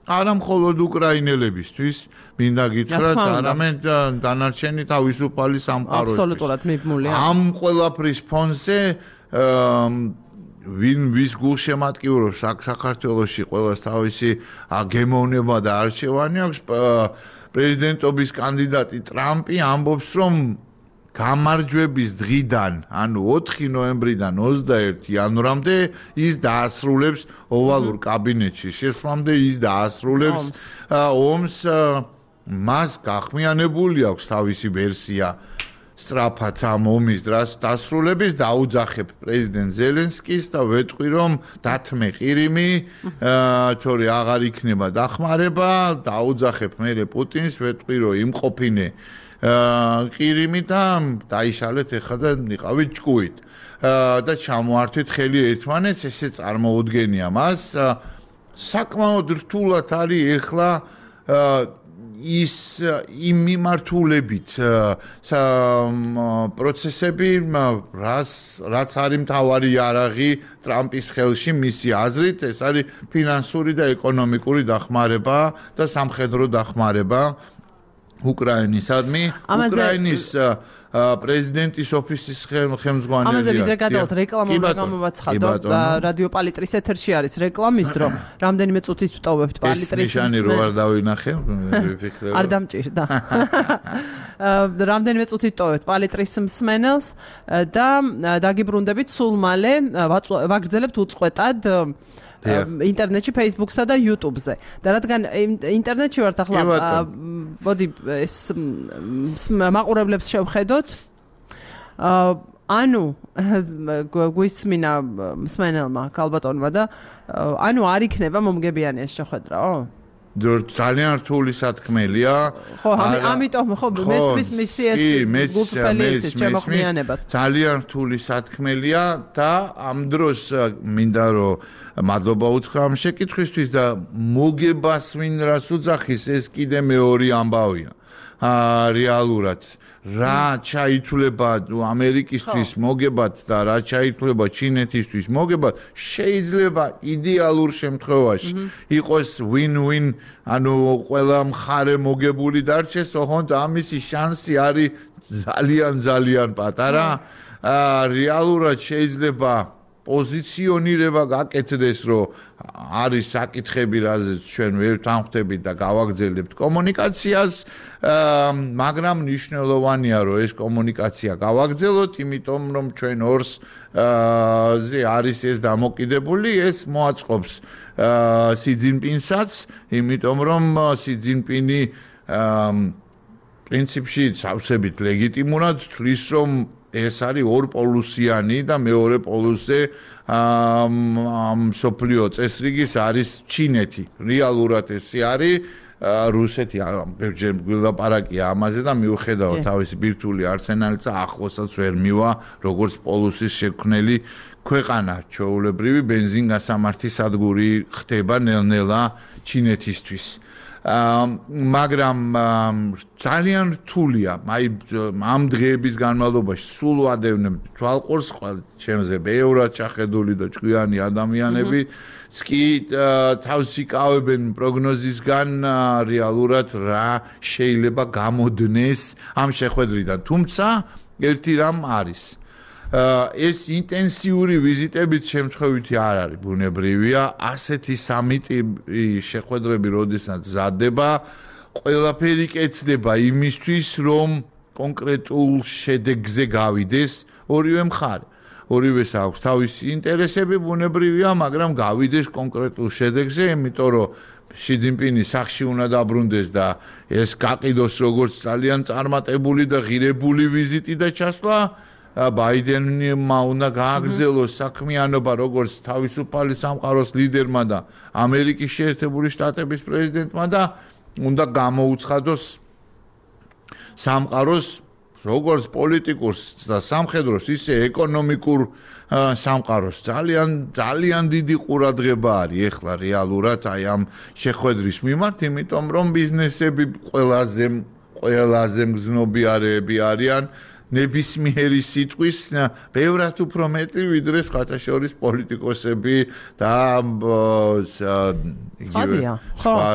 Speaker 2: არა მხოლოდ უკრაინელებისთვის, მინდა გითხრათ, არამედ დანარჩენი თავისუფალი სამყაროისთვის.
Speaker 1: აბსოლუტურად მიბმულია.
Speaker 2: ამ ყველაფრის ფონზე ვის გულშემატკივრობს საქართველოში ყველას თავისი გემოვნება და არჩევანი აქვს, პრეზიდენტობის კანდიდატი ტრამპი ამბობს, რომ გამარჯვების დღიდან, ანუ 4 ნოემბრიდან 21 იანვრამდე ის დაასრულებს ოვალურ კაბინეტში შესვლამდე ის დაასრულებს ომს, მას გახმიანებული აქვს თავისი ვერსია სწრაფად ამ ომის დასრულების, დაუძახებ პრეზიდენტ ზელენსკის და ვეტყვი რომ დათმე ყირიმი, თორე აღარ იქნება დახმარება, დაუძახებ მერე პუტინს, ვეტყვი რომ იმყოფინე ყირიმი და დაიშალეთ ეხლა და იყავით ჭკუით და ჩამოართვით ხელი ერთმანეთს, ესე წარმოუდგენია მას. საკმაოდ რთულად არის ეხლა ის იმ მიმართულებით პროცესები, რაც არის მთავარი იარაღი ტრამპის ხელში, მისი აზრით, ეს არის ფინანსური და ეკონომიკური დახმარება და სამხედრო დახმარება უკრაინისადმი. უკრაინის პრეზიდენტის ოფისის ხელმძღვანელი.
Speaker 1: ამაზე ვიდრე გადავთ რეკლამა უნდა გამოვაცხადოთ. რადიო პალიტრის ეთერში არის რეკლამის დრო. რამდენიმე წუთით ვტოვებთ პალიტრის.
Speaker 2: ეს ნიშანი რო არ დავინახე, ვიფიქრე.
Speaker 1: არ დამჭირდა. რამდენიმე წუთით ვტოვებთ პალიტრის მსმენელს და დაგიბრუნდებით სულ მალე ვაგრძელებთ უწყვეტად ინტერნეტში, Facebook-სა და YouTube-ზე. და რადგან ინტერნეტში ვართ ახლა, მოდი ეს მაყურებლებს შევხედოთ. ანუ გვისმინა მსმენელმა ქალბატონმა და ანუ არ იქნება მომგებიანი ეს შეხვედრაო?
Speaker 2: ძალიან რთული სათქმელია.
Speaker 1: ხო, ამიტომ ხო მესმის მისი ეს გულწრფელი ეს შემოხმიანება.
Speaker 2: ძალიან რთული სათქმელია და ამ დროს მინდა რომ მადლობა უთხრა ამ შეკითხვისთვის და მოგებას ვინ რას უძახის, ეს კიდე მეორე ამბავია. რეალურად რა ჩაითვლება ამერიკისთვის მოგებად და რა ჩაითვლება ჩინეთისთვის მოგებად შეიძლება იდეალურ შემთხვევაში იყოს win-win ანუ ყველა მხარე მოგებული დარჩეს ოღონდ ამისი შანსი არის ძალიან პატარა რეალურად შეიძლება პოზიციონირება გაკეთდეს რომ არის საკითხები რაზეც ჩვენ ვერ თანხმდებით და გავაგრძელებთ კომუნიკაციას მაგრამ მნიშვნელოვანია რომ ეს კომუნიკაცია გავაგრძელოთ იმიტომ რომ ჩვენ ორს ზე არის ეს დამოკიდებული ეს მოაწყობს სი ძინპინსაც იმიტომ რომ სი ძინპინი პრინციპში სავსებით ლეგიტიმურად თვლის რომ ეს არის ორპოლუსიანი და მეორე პოლუსზე სოფლიო წესრიგის არის ჩინეთი. რეალურად ესე არის რუსეთი ბევრჯერ გვილაპარაკია ამაზე და მიუხედავად თავისი ბირთვული არსენალით ახლოსაც ვერ მივა როგორც პოლუსის შექმნელი ქვეყანა. ჩვეულებრივი ბენზინგასამართი სადგური ხდება ნელ-ნელა ჩინეთისთვის. მაგრამ ძალიან რთულია აი ამ დღეების განმავლობაში სულ ვადევნებ თვალყურს ჩემზე ბევრად ჩახედული და ჭკვიანი ადამიანები კი თავს იკავებენ პროგნოზისგან რეალურად რა შეიძლება გამოდნეს ამ შეხვედრიდან თუმცა ერთი რამ არის ეს ინტენსიური ვიზიტებით შემთხვევითი არ არის ბუნებრივია ასეთი სამიტი შეხვედრები როდესაც მზადდება ყველაფერი კეთდება იმისთვის რომ კონკრეტულ შედეგზე გავიდეს ორივე მხარე ორივეს აქვს თავისი ინტერესები ბუნებრივია მაგრამ გავიდეს კონკრეტულ შედეგზე იმიტომ რომ ში ძინპინი სახში უნდა დაბრუნდეს და ეს გაყიდოს როგორც ძალიან წარმატებული და ღირებული ვიზიტი და ჩასვლა ბაიდენმა უნდა გააგრძელოს საქმიანობა როგორც თავისუფალი სამყაროს ლიდერმა და ამერიკის შეერთებული შტატების პრეზიდენტმა და უნდა გამოუცხადოს სამყაროს როგორც პოლიტიკურს და სამხედროს ისე ეკონომიკურ სამყაროს ძალიან დიდი ყურადღება არის ეხლა რეალურად აი ამ შეხვედრის მიმართ იმიტომ რომ ბიზნესები ყველაზე მგზნობიარეები არიან ნებისმიერი სიტყვის ბევრად უფრო მეტი ვიდრე სხვათაშორის პოლიტიკოსები და იგივე სხვა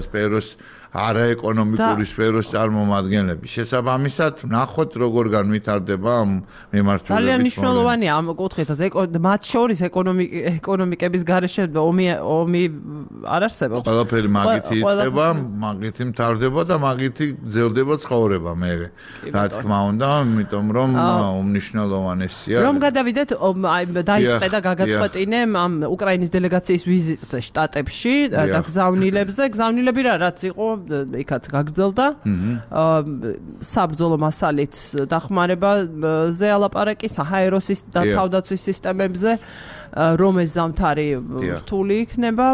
Speaker 2: სფეროს არაეკონომიკური სფეროს წარმომადგენლები. შესაბამისად, ნახოთ როგორ განვითარდება ამ მიმართულებით.
Speaker 1: ძალიან მნიშვნელოვანია ამ კუთხითაც მათ შორის ეკონომიკების გარეშე ომი არ არსებობს.
Speaker 2: ყველაფერი მაგითი იწყება, მაგითი მთავრდება და მაგითი გრძელდება ცხოვრება მერე. რა თქმა უნდა, იმიტომ რომ უმნიშვნელოვანესია.
Speaker 1: რომ გადავიდეთ, დაიწყე და გაგაწყვეტინე ამ უკრაინის დელეგაციის ვიზიტზე შტატებში და გზავნილები რაც იყო იქაც გაგრძელდა საბრძოლო მასალით დახმარებაზე ალაპარაკი საჰაეროს და თავდაცვის სისტემებზე რომ ეს ზამთარი რთული იქნება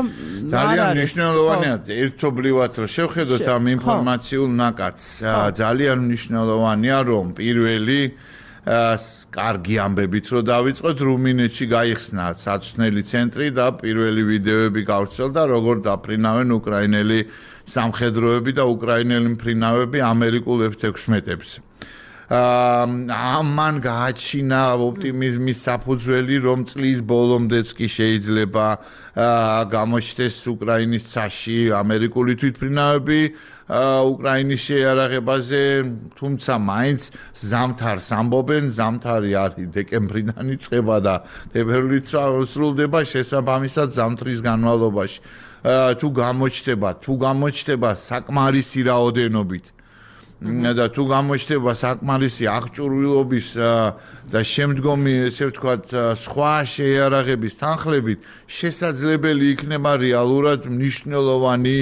Speaker 2: ძალიან მნიშვნელოვანია ერთობლივად რომ შევხედოთ ამ ინფორმაციულ ნაკადს ძალიან მნიშვნელოვანია რომ პირველი კარგი ამბებით რომ დავიწყოთ რუმინეთში გაიხსნა საცვლელი ცენტრი და პირველი ვიდეოები გავრცელდა როგორ დაფრინავენ უკრაინელი სამხედროები და უკრაინელი მფრინავები ამერიკულ F-16-ებს. ამან გააჩინა ოპტიმიზმის საფუძველი, რომ წლის ბოლომდეც კი შეიძლება გამოჩნდეს უკრაინის ცაში ამერიკული თვითმფრინავები უკრაინის შეიარაღებაზე, თუმცა მაინც ზამთარს ამბობენ, ზამთარი არის დეკემბრიდან იწყება და თებერვლით სრულდება შესაბამისად ზამთრის განმავლობაში. თუ გამოჩნდება საკმარისი რაოდენობით და თუ გამოჩნდება საკმარისი აღჭურვილობის და შემდგომი ესე ვთქვათ სხვა შეიარაღების თანხლებით შესაძლებელი იქნება რეალურად მნიშვნელოვანი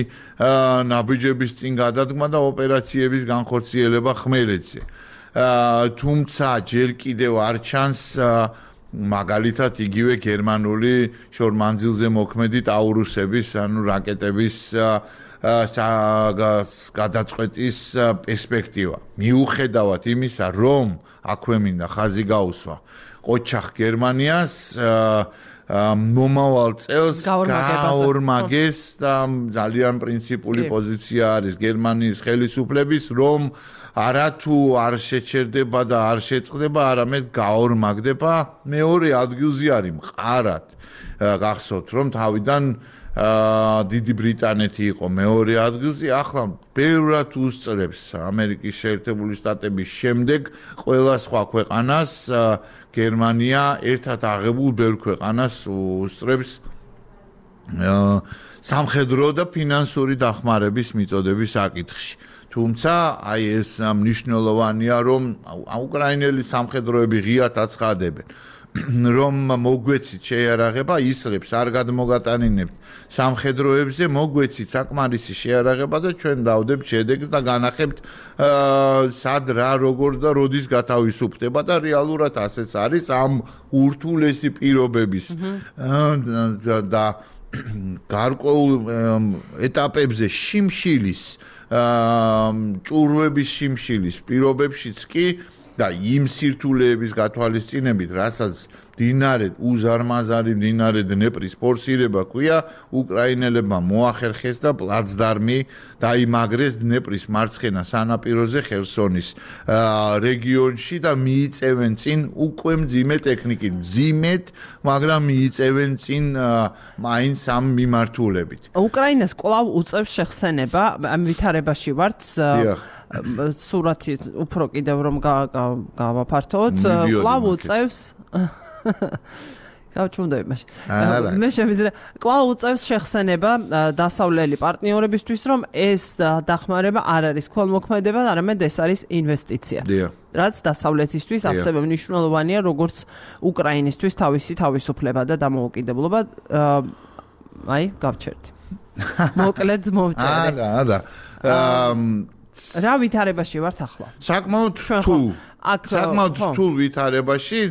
Speaker 2: ნაბიჯების წინ გადადგმა და ოპერაციების განხორციელება ხმელეთზე. თუმცა ჯერ კიდევ არ ჩანს მაგალითად იგივე გერმანული შორმანძილზე მოქმედი ტაურუსების ანუ რაკეტების გადაწყვეტის პერსპექტივა. მიუხედავად იმისა, რომ აქვე მინდა ხაზი გაუსვა ყოჩახ გერმანიას მომავალ წელს გაორმაგეს და ძალიან პრინციპული პოზიცია არის გერმანიის ხელისუფლების, რომ არათუ არ შეჩერდება და არ შეწყდება, არამედ გაორმაგდება. მეორე ადგილზე არის მყარად. გახსოვთ, რომ თავიდან დიდი ბრიტანეთი იყო მეორე ადგილზე, ახლა ბევრად უსწრებს ამერიკის შეერთებული შტატების შემდეგ ყველა სხვა ქვეყანას, გერმანია ერთად აღებულ ბევრ ქვეყანას უსწრებს სამხედრო და ფინანსური დახმარების მიწოდების საკითხში. თუმცა აი ეს მნიშვნელოვანია, რომ უკრაინელი სამხედროები ღიად აცხადებენ, რომ მოგვეცით შეიარაღება, ისრებს არ გადმოგატანინებთ სამხედროებზე, მოგვეცით საკმარისი შეიარაღება და ჩვენ დავდებთ შედეგს და განახებთ სად რა როგორ და როდის გათავისუფლდება და რეალურად ასეც არის ამ ურთულესი პირობების და გარკვეულ ეტაპებზე შიმშილის ჭურვების შიმშილის პირობებშიც კი და იმ სირთულეების გათვალისწინებით, რასაც მდინარე უზარმაზარი მდინარე დნეპრის ფორსირება ქვია, უკრაინელებმა მოახერხეს და პლაცდარმი დაიმაგრეს დნეპრის მარცხენა სანაპიროზე ხერსონის რეგიონში და მიიწევენ წინ უკვე მძიმე ტექნიკით, მძიმედ, მაგრამ მიიწევენ წინ მაინც ამ მიმართულებით.
Speaker 1: უკრაინას კვლავ უწევს შეხსენება, ამ ვითარებაში ვართ. სურათი უფრო კიდევ რომ გავაფართოთ, კვლავ უწევს გავჩუნდები მაშინ. მე შევიძლია კვლავ უწევს შეხსენება დასავლელი პარტნიორებისთვის, რომ ეს დახმარება არ არის ქველმოქმედება, არამედ ეს არის ინვესტიცია. რაც დასავლეთისთვის ასევე მნიშვნელოვანია, როგორც უკრაინისთვის თავისი თავისუფლება და დამოუკიდებლობა. აი, გავჩერდი. მოკლედ მოვწერე.
Speaker 2: არა.
Speaker 1: რა ვითარებაში ვართ ახლა?
Speaker 2: საკმაოდ რთულ ვითარებაში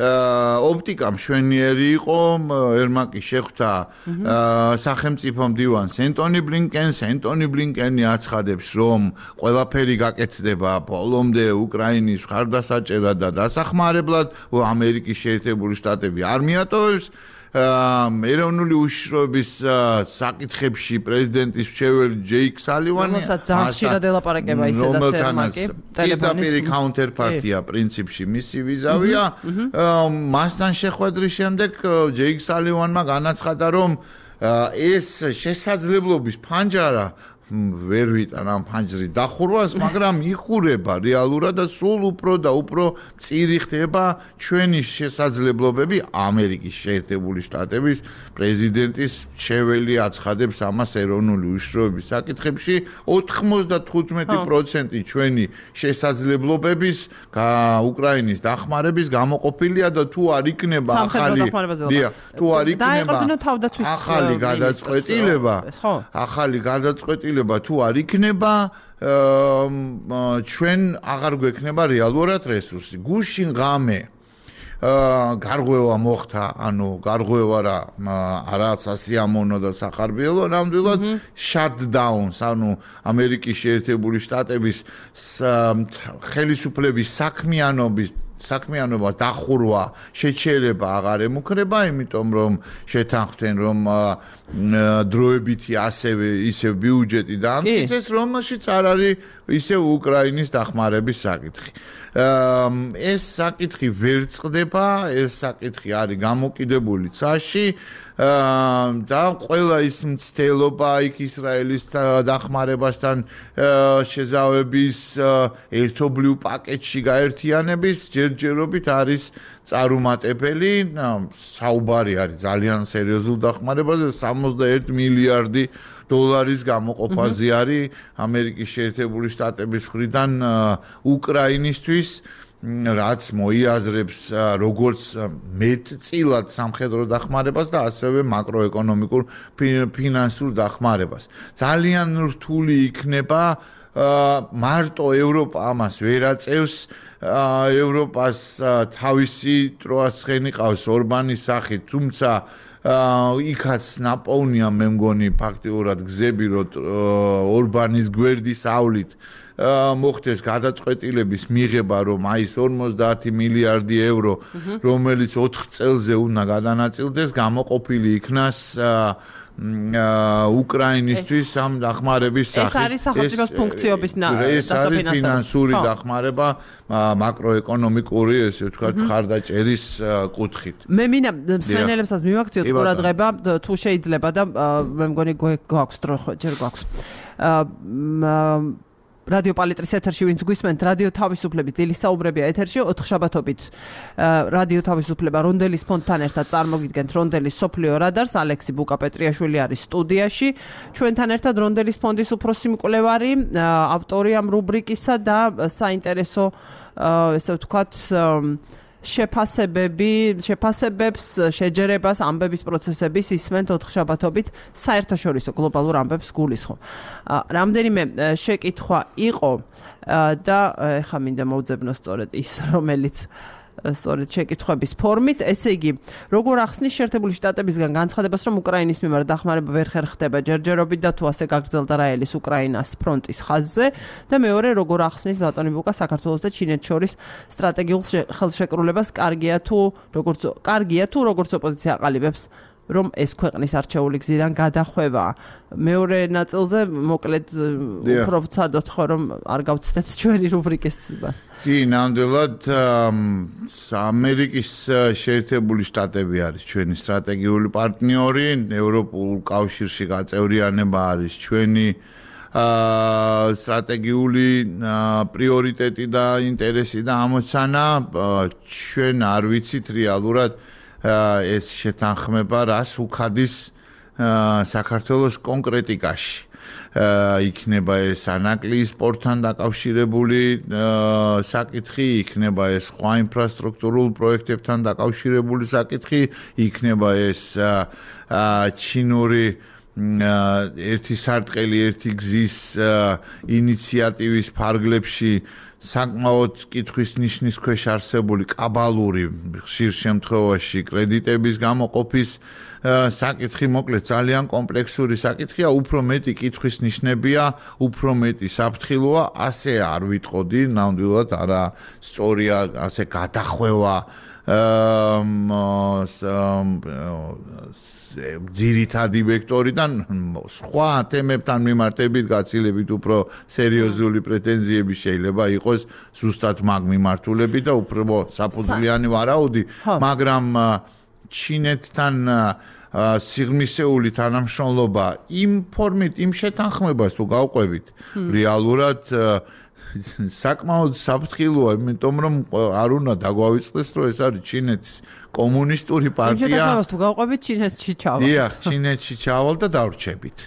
Speaker 2: ოპტიკა მშვენიერი იყო, ერმაკი შეხვდა სახელმწიფო მდივანს ენტონი ბლინკენი აცხადებს, რომ ყველაფერი გაკეთდება ბოლომდე უკრაინის მხარდასაჭერად და დასახმარებლად, ამერიკის შეერთებული შტატები არ მიატოვებს. ეროვნული უშიშროების საკითხებში პრეზიდენტის მრჩეველი ჯეიკ სალივანი,
Speaker 1: რომელსაც ძალიან ხშირად ელაპარაკება ისედაც ერმაკი,
Speaker 2: პირდაპირ კაუნტერპარტია პრინციპში მისი ვიზავია. მასთან შეხვედრის შემდეგ ჯეიკ სალივანმა განაცხადა, რომ ეს შესაძლებლობის ფანჯარა ვერ ვიტან ამ ფანჯრის დახურვას, მაგრამ იხურება რეალურად და სულ უფრო და უფრო მწირი ხდება ჩვენი შესაძლებლობები. ამერიკის შეერთებული შტატების პრეზიდენტის მრჩეველი აცხადებს ამას ეროვნული უშიშროების საკითხებში. 95% ჩვენი შესაძლებლობების უკრაინის დახმარების გამოყოფილია და თუ არ იქნება ახალი გადაწყვეტილება თუ არ იქნება, ჩვენ აღარ გვექნება რეალურად რესურსი. გუშინ ღამე გარღვევა მოხდა, გარღვევა რაც ასიამონო და სახარბიელო, ნამდვილად shutdown-ს, ამერიკის შეერთებული შტატების ხელისუფლების საქმიანობა დახურვა, შეჩერება აღარ ემუქრება, იმიტომ რომ შეთანხმდნენ, რომ დროებითი ისევ ბიუჯეტი დაამტკიცეს, რომელშიც არ არის ისევ უკრაინის დახმარების საკითხი. ეს საკითხი ვერ წყდება, ეს საკითხი არის გამოკიდებული ცაში და ყველა ის მცდელობა იქ ისრაელის დახმარებასთან შეზავების ერთობლივ პაკეტში გაერთიანების ჯერჯერობით არის წარუმატებელი. საუბარი არის ძალიან სერიოზულ დახმარებაზე, 61 მილიარდი დოლარის გამოყოფაზე არის ამერიკის შეერთებული შტატების მხრიდან უკრაინისთვის, რაც მოიაზრებს როგორც მეტწილად სამხედრო დახმარებას და ასევე მაკროეკონომიკურ ფინანსურ დახმარებას. ძალიან რთული იქნება მარტო ევროპა ამას ვერ აწევს. ევროპას თავისი ტროასხენი ყავს ორბანის სახით, თუმცა იქაც ნაპოვნია მე მგონი ფაქტიურად გზები რომ ორბანის გვერდის ავლით მოხდეს გადაწყვეტილების მიღება რომ აი ეს 50 მილიარდი ევრო რომელიც 4 წელზე უნდა გადანაწილდეს გამოყოფილი იქნას უკრაინისთვის ამ დახმარების სახით.
Speaker 1: ეს არის სახელმწიფოს ფუნქციების
Speaker 2: ეს არის ფინანსური დახმარება მაკროეკონომიკური, ესე ვთქვათ, ხარდაჭერის კუთხით.
Speaker 1: მე მინდა მსმენელებსაც მივაქციოთ ყურადღება, თუ შეიძლება და მე მგონი გვაქვს დრო ჯერ გვაქვს. რადიო პალიტრის ეთერში ვინც გვისმენთ რადიო თავისუფლების დილის საუბრებია ეთერში 4 შაბათობით რადიო თავისუფლება რონდელის ფონდთან ერთად წარმოგიდგენთ რონდელის სოფლიო რადარს ალექსი ბუკაპეტრიაშვილი არის სტუდიაში ჩვენთან ერთად რონდელის ფონდის უფროსი მკვლევარი ავტორი ამ რუბრიკისა და საინტერესო ესე ვთქვათ შეფასებებს, შეჯერებას, ამბების პროცესების ისმენთ 4 შაბათობით საერთაშორისო გლობალურ ამბებს გულისხმობ. რამდენიმე შეკითხვა იყო და ეხლა მინდა მოვძებნო სწორედ ის, რომელიც სწორედ შეკითხვების ფორმით, ესე იგი, როგორ ახსნის შეერთებული შტატებისგან განცხადებას, რომ უკრაინის მიმართ დახმარება ვერ ხერხდება ჯერჯერობით და თუ ასე გაგრძელდა რაელის უკრაინას ფრონტის ხაზზე და მეორე როგორ ახსნის ბატონი ბუკა საქართველოს და ჩინეთს შორის სტრატეგიულ ხელშეკრულებას კარგია თუ როგორც ოპოზიცია აყალიბებს რომ ეს ქვეყნის არჩეული გზიდან გადახვევა. მეორე ნაწილზე მოკლედ უფრო ვცადოთ ხო რომ არ გავცდეთ ჩვენი რუბრიკის ცებას.
Speaker 2: კი, ნამდვილად ამერიკის შეერთებული შტატები არის ჩვენი სტრატეგიული პარტნიორი, ევროპულ კავშირში გაწევრიანება არის ჩვენი სტრატეგიული პრიორიტეტი და ინტერესი და ამოცანა. ჩვენ არ ვიცით რეალურად ეს შეთანხმება რას უხადის საქართველოს კონკრეტიკაში. იქნება ეს ანაკლიის პორტთან დაკავშირებული საკითხი, იქნება ეს სხვა ინფრასტრუქტურულ პროექტებთან დაკავშირებული საკითხი, იქნება ეს ჩინური ერთი სარტყელი, ერთი გზის ინიციატივის ფარგლებში საკმაოდ კითხვის ნიშნის ქვეშ არსებული კაბალური ხშირ შემთხვევაში კრედიტების გამოყოფის საკითხი მოკლედ ძალიან კომპლექსური საკითხია, უფრო მეტი კითხვის ნიშნებია, უფრო მეტი საფრთხილოა, ასე არ ვიტყოდი, ნამდვილად არა სწორია ასე გადახვევა ძირითადი ვექტორიდან სხვა თემებთან მიმართებით გაცილებით უფრო სერიოზული პრეტენზიები შეიძლება იყოს ზუსტად მაგ მიმართულებით და უფრო საფუძვლიანი ვარაუდი, მაგრამ ჩინეთთან სიღრმისეული თანამშრომლობა იმ ფორმით, იმ შეთანხმებას თუ გავყვებით, რეალურად საკმაოდ საფრთხილოა, იმიტომ რომ არ უნდა დაგვავიწყდეს, რომ ეს არის ჩინეთის კომუნისტური პარტია.
Speaker 1: შეთანხმებას თუ გავყვებით, ჩინეთში ჩავალ.
Speaker 2: დიახ, ჩინეთში ჩავალ და დავრჩებით.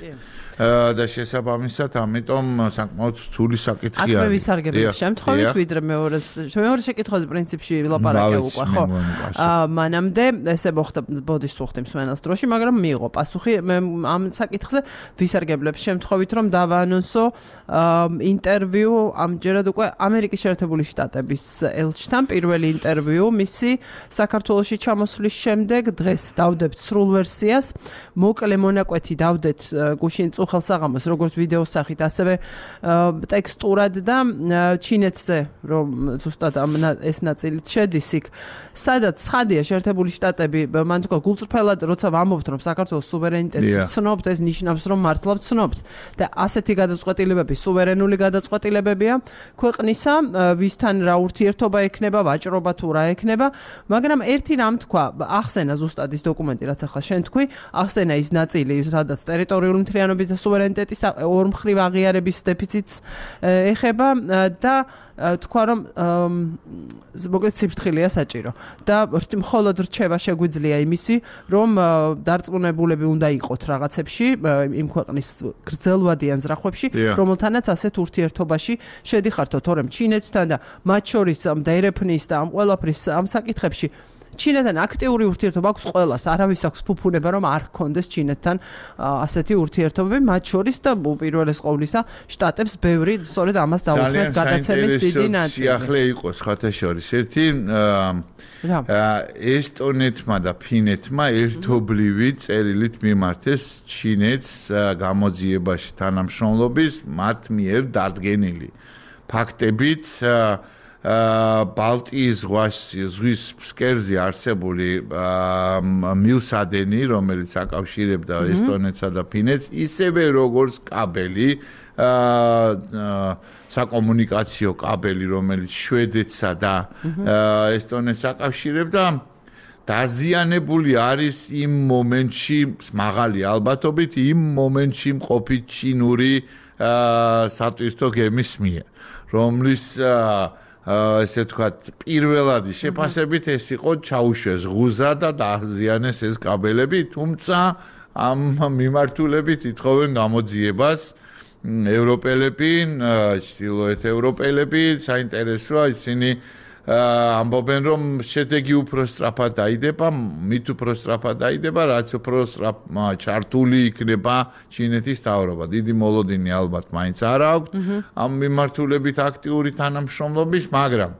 Speaker 2: და შესაბამისად, ამიტომ საკმაოდ რთული საკითხია.
Speaker 1: აქ მე ვისარგებლებ შემთხვევით, ვიდრე მეორე შეკითხვაზე პრინციპში ვილაპარაკე უკვე, ხო? მანამდე ესე მოხდა ბოდიშს უხდი მსმენელს დროში, მაგრამ მიიღო პასუხი. მე ამ საკითხზე ვისარგებლებ შემთხვევით, რომ დავაანონსო ინტერვიუ ამჯერად უკვე ამერიკის შეერთებული შტატების ელჩთან პირველი ინტერვიუ მისი საქართველოში ჩამოსვლის შემდეგ დღეს დავდებთ სრულ ვერსიას. მოკლე მონაკვეთი დავდეთ გუშინ ხელსაღამოს როგორც ვიდეოს სახით, ასევე ტექსტურად და ჩინეთზე, რომ ზუსტად ეს ნაწილიც შედის იქ. სადაც ცხადია შეერთებული შტატები, მან თქვა გულწრფელად, როცა ვამბობთ, რომ საქართველოს სუვერენიტეტს ვცნობთ, ეს ნიშნავს, რომ მართლა ვცნობთ და ასეთი გადაწყვეტილებები სუვერენული გადაწყვეტილებებია ქვეყნისა, ვისთან რა ურთიერთობა ექნება, ვაჭრობა თუ რა ექნება, მაგრამ ერთი რამ თქვა, ახსენა ზუსტად ის დოკუმენტი, რაც ახლა შენ თქვი, ახსენა ის ნაწილი, სადაც ტერიტორიული მთლიანობის და სუვერენიტეტის ორმხრივ აღიარების დეფიციტს ეხება და თქვა რომ მოკლედ სიფრთხილეა საჭირო და მხოლოდ რჩევა შეგვიძლია იმისი რომ დარწმუნებულები უნდა იყოთ რაღაცებში იმ ქვეყნის გრძელვადიან ზრახვებში რომელთანაც ასეთ ურთიერთობაში შედიხართო თორემ ჩინეთთან და მათ შორის და ერეფნის და ამ ყველაფრის ამ საკითხებში ჩინეთთან აქტიური ურთიერთობა აქვს ყველას, არავის აქვს ფუფუნება რომ არ ჰქონდეს ჩინეთთან ასეთი ურთიერთობები, მათ შორის და უპირველეს ყოვლისა შტატებს ბევრი სწორედ ამას დაუთმეთ გადაცემის დიდი ნაწილი.
Speaker 2: სიახლე იყო ხათაშორის ერთი ესტონეთმა და ფინეთმა ერთობლივი წერილით მიმართეს ჩინეთს გამოძიებაში თანამშრომლობის მათ მიერ დადგენილი ფაქტებით ბალტიის ზღვის ფსკერზე არსებული მილსადენი, რომელიც აკავშირებდა ესტონეთსა და ფინეთს, ისევე როგორც კაბელი, საკომუნიკაციო კაბელი, რომელიც შვედეთსა და ესტონეთს აკავშირებდა, დაზიანებული არის იმ მომენტში, მაღალი ალბათობით, იმ მომენტში მყოფი ჩინური სატვირთო გემის მიერ, რომლის ესე ვთქვათ, პირველადი შეფასებით ეს იყო ჩაუშვეს ღუზა და დააზიანეს ეს კაბელები, თუმცა ამ მიმართულებით ითხოვენ გამოძიებას ევროპელები, ჩრდილოეთ ევროპელები, საინტერესოა ისინი ამბობენ რომ შედეგი უფრო სწრაფად დაიდება, მით უფრო სწრაფად დაიდება, რაც უფრო ჩართული იქნება ჩინეთის მთავრობა. დიდი მოლოდინი ალბათ მაინც არ აქვს ამ მიმართულებით აქტიური თანამშრომლობის, მაგრამ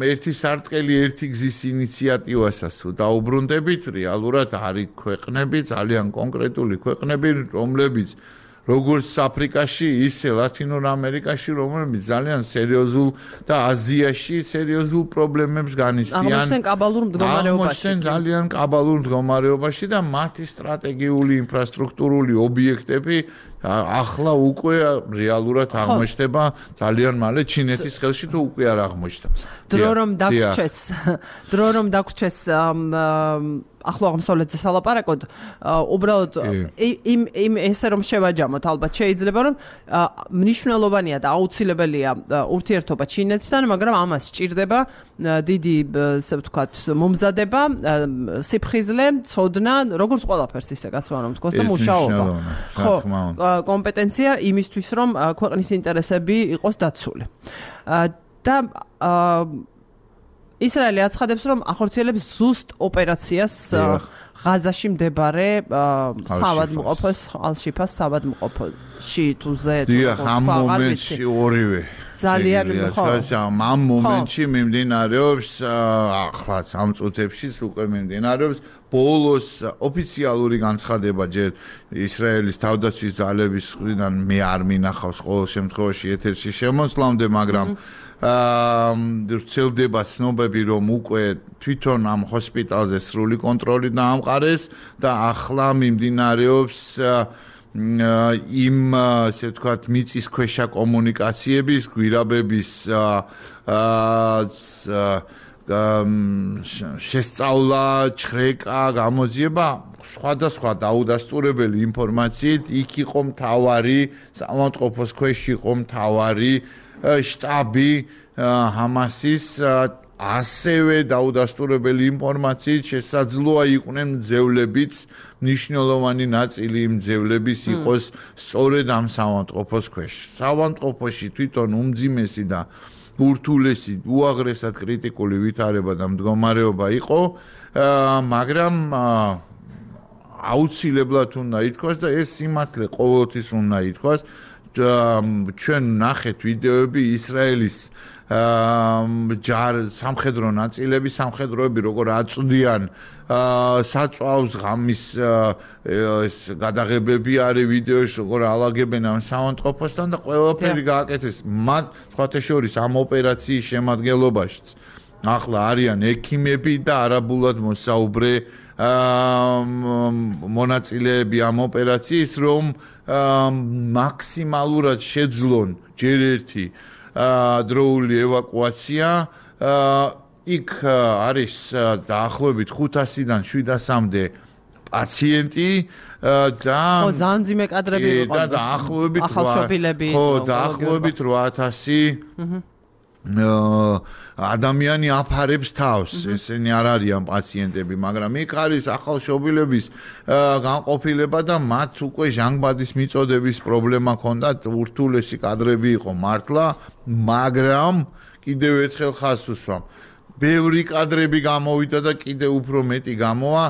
Speaker 2: ერთი სარტყელი, ერთი გზის ინიციატივასაც თუ დაუბრუნდებით, რეალურად არის ქვეყნები, ძალიან კონკრეტული ქვეყნები, რომლებიც როგორც აფრიკაში, ისე ლათინურ ამერიკაში, რომლებიც ძალიან სერიოზულ და აზიაში სერიოზულ პრობლემებს განიცდიან.
Speaker 1: აღმოჩნდნენ კაბალურ მდგომარეობაში.
Speaker 2: ძალიან კაბალურ მდგომარეობაში და მათი სტრატეგიული ინფრასტრუქტურული ობიექტები ახლა უკვე რეალურად აღმოჩნდება ძალიან მალე ჩინეთის ხელში თუ უკვე არ აღმოჩნდა.
Speaker 1: დრო რომ დაგვრჩეს ახლა აღმოსავლეთზე სალაპარაკოდ, უბრალოდ იმ ესე რომ შევაჯამოთ, ალბათ შეიძლება რომ მნიშვნელოვანია და აუცილებელია ურთიერთობა ჩინეთთან, მაგრამ ამას სჭირდება დიდი, ასე ვთქვათ, მომზადება, სიფხიზლე, ცოდნა, როგორც ყველაფერს ისე კაცმა რომ თქოს და მუშაობა. ხო, კომპეტენცია იმისთვის, რომ ქვეყნის ინტერესები იყოს დაცული. და ისრაელი აცხადებს, რომ ახორციელებს ზუსტ ოპერაციას ღაზაში მდებარე საავადმყოფოს, ალ-შიფას საავადმყოფოში თუ ზე თუ
Speaker 2: ამ მომენტში ორივე
Speaker 1: ძალიან
Speaker 2: ამ მომენტში მიმდინარეობს ახლაც ამ წუთებში უკვე მიმდინარეობს ბოლოს ოფიციალური განცხადება ჯერ ისრაელის თავდაცვის ძალების მხრიდან მე არ მინახავს ყოველ შემთხვევაში ეთერში შემოსვლამდე, მაგრამ ვრცელდება ცნობები, რომ უკვე თვითონ ამ ჰოსპიტალზე სრული კონტროლი დაამყარეს და ახლა მიმდინარეობს იმ ასე ვთქვათ მიწისქვეშა კომუნიკაციების, გვირაბების შესწავლა, ჩხრეკა, გამოძიება სხვადასხვა დაუდასტურებელი ინფორმაციით იქ იყო მთავარი საავადმყოფოს ქვეშ იყო მთავარი შტაბი ჰამასის ასევე დაუდასტურებელი ინფორმაციით შესაძლოა იყვნენ მძევლებიც მნიშვნელოვანი ნაწილი იმ მძევლების იყოს სწორედ ამ საავადმყოფოს ქვეშ. საავადმყოფოში თვითონ უმძიმესი და ურთულესი უაღრესად კრიტიკული ვითარება და მდგომარეობა იყო, მაგრამ აუცილებლად უნდა ითქვას და ეს სიმართლე ყოველთვის უნდა ითქვას, ჩვენ ნახეთ ვიდეოები ისრაელის სამხედრო ნაწილები, სამხედროები როგორ აწვდიან საწვავს ღამის ეს გადაღებები არის ვიდეოში, როგორ ალაგებენ ამ საავადმყოფოსთან და ყველაფერი გააკეთეს. მათ სხვათა შორის ამ ოპერაციის შემადგენლობაშიც ახლა არიან ექიმები და არაბულად მოსაუბრე მონაწილეები ამ ოპერაციის, რომ მაქსიმალურად შეძლონ ჯერ ერთი დროული ევაკუაცია. იქ არის დაახლოებით 500-დან 700-მდე პაციენტი და
Speaker 1: ძალიან ძიმე კადრები იყო
Speaker 2: და დაახლოებით
Speaker 1: ახალშობილები
Speaker 2: იყო დაახლოებით 800 ადამიანი აფარებს თავს, ესენი არ არიან პაციენტები, მაგრამ იქ არის ახალშობილების განყოფილება და მათ უკვე ჟანგბადის მიწოდების პრობლემა ჰქონდათ, ურთულესი კადრები იყო მართლა, მაგრამ კიდევ ერთხელ ხაზს უსვამ. ბევრი კადრები გამოვიდა და კიდე უფრო მეტი გამოვა.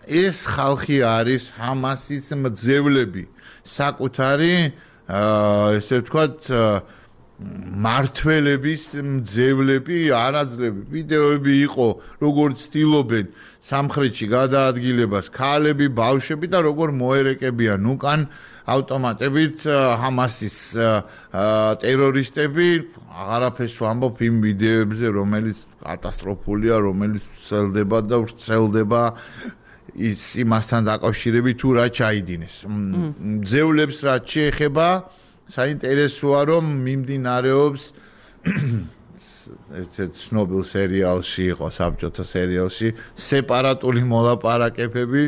Speaker 2: ეს ხალხი არის ჰამასის მძევლები, საკუთარი ესე ვთქვათ მართველების მძევლები, არაძლები. ვიდეოები იყო, როგორც ცდილობენ სამხრეთში გადაადგილებას ქალები, ბავშვები და როგორ მოერეკებიან უკან ავტომატებით ჰამასის ტერორისტები. აღარაფერს ვამბობ იმ ვიდეოებზე, რომელიც კატასტროფულია, რომელიც ვრცელდება და ვრცელდება იმასთან დაკავშირებით თუ რა ჩაიდინეს. მძევლებს რაც შეეხება, საინტერესოა რომ მიმდინარეობს ერთ-ერთ ცნობილ სერიალში იყო, საბჭოთა სერიალში, სეპარატული მოლაპარაკებები,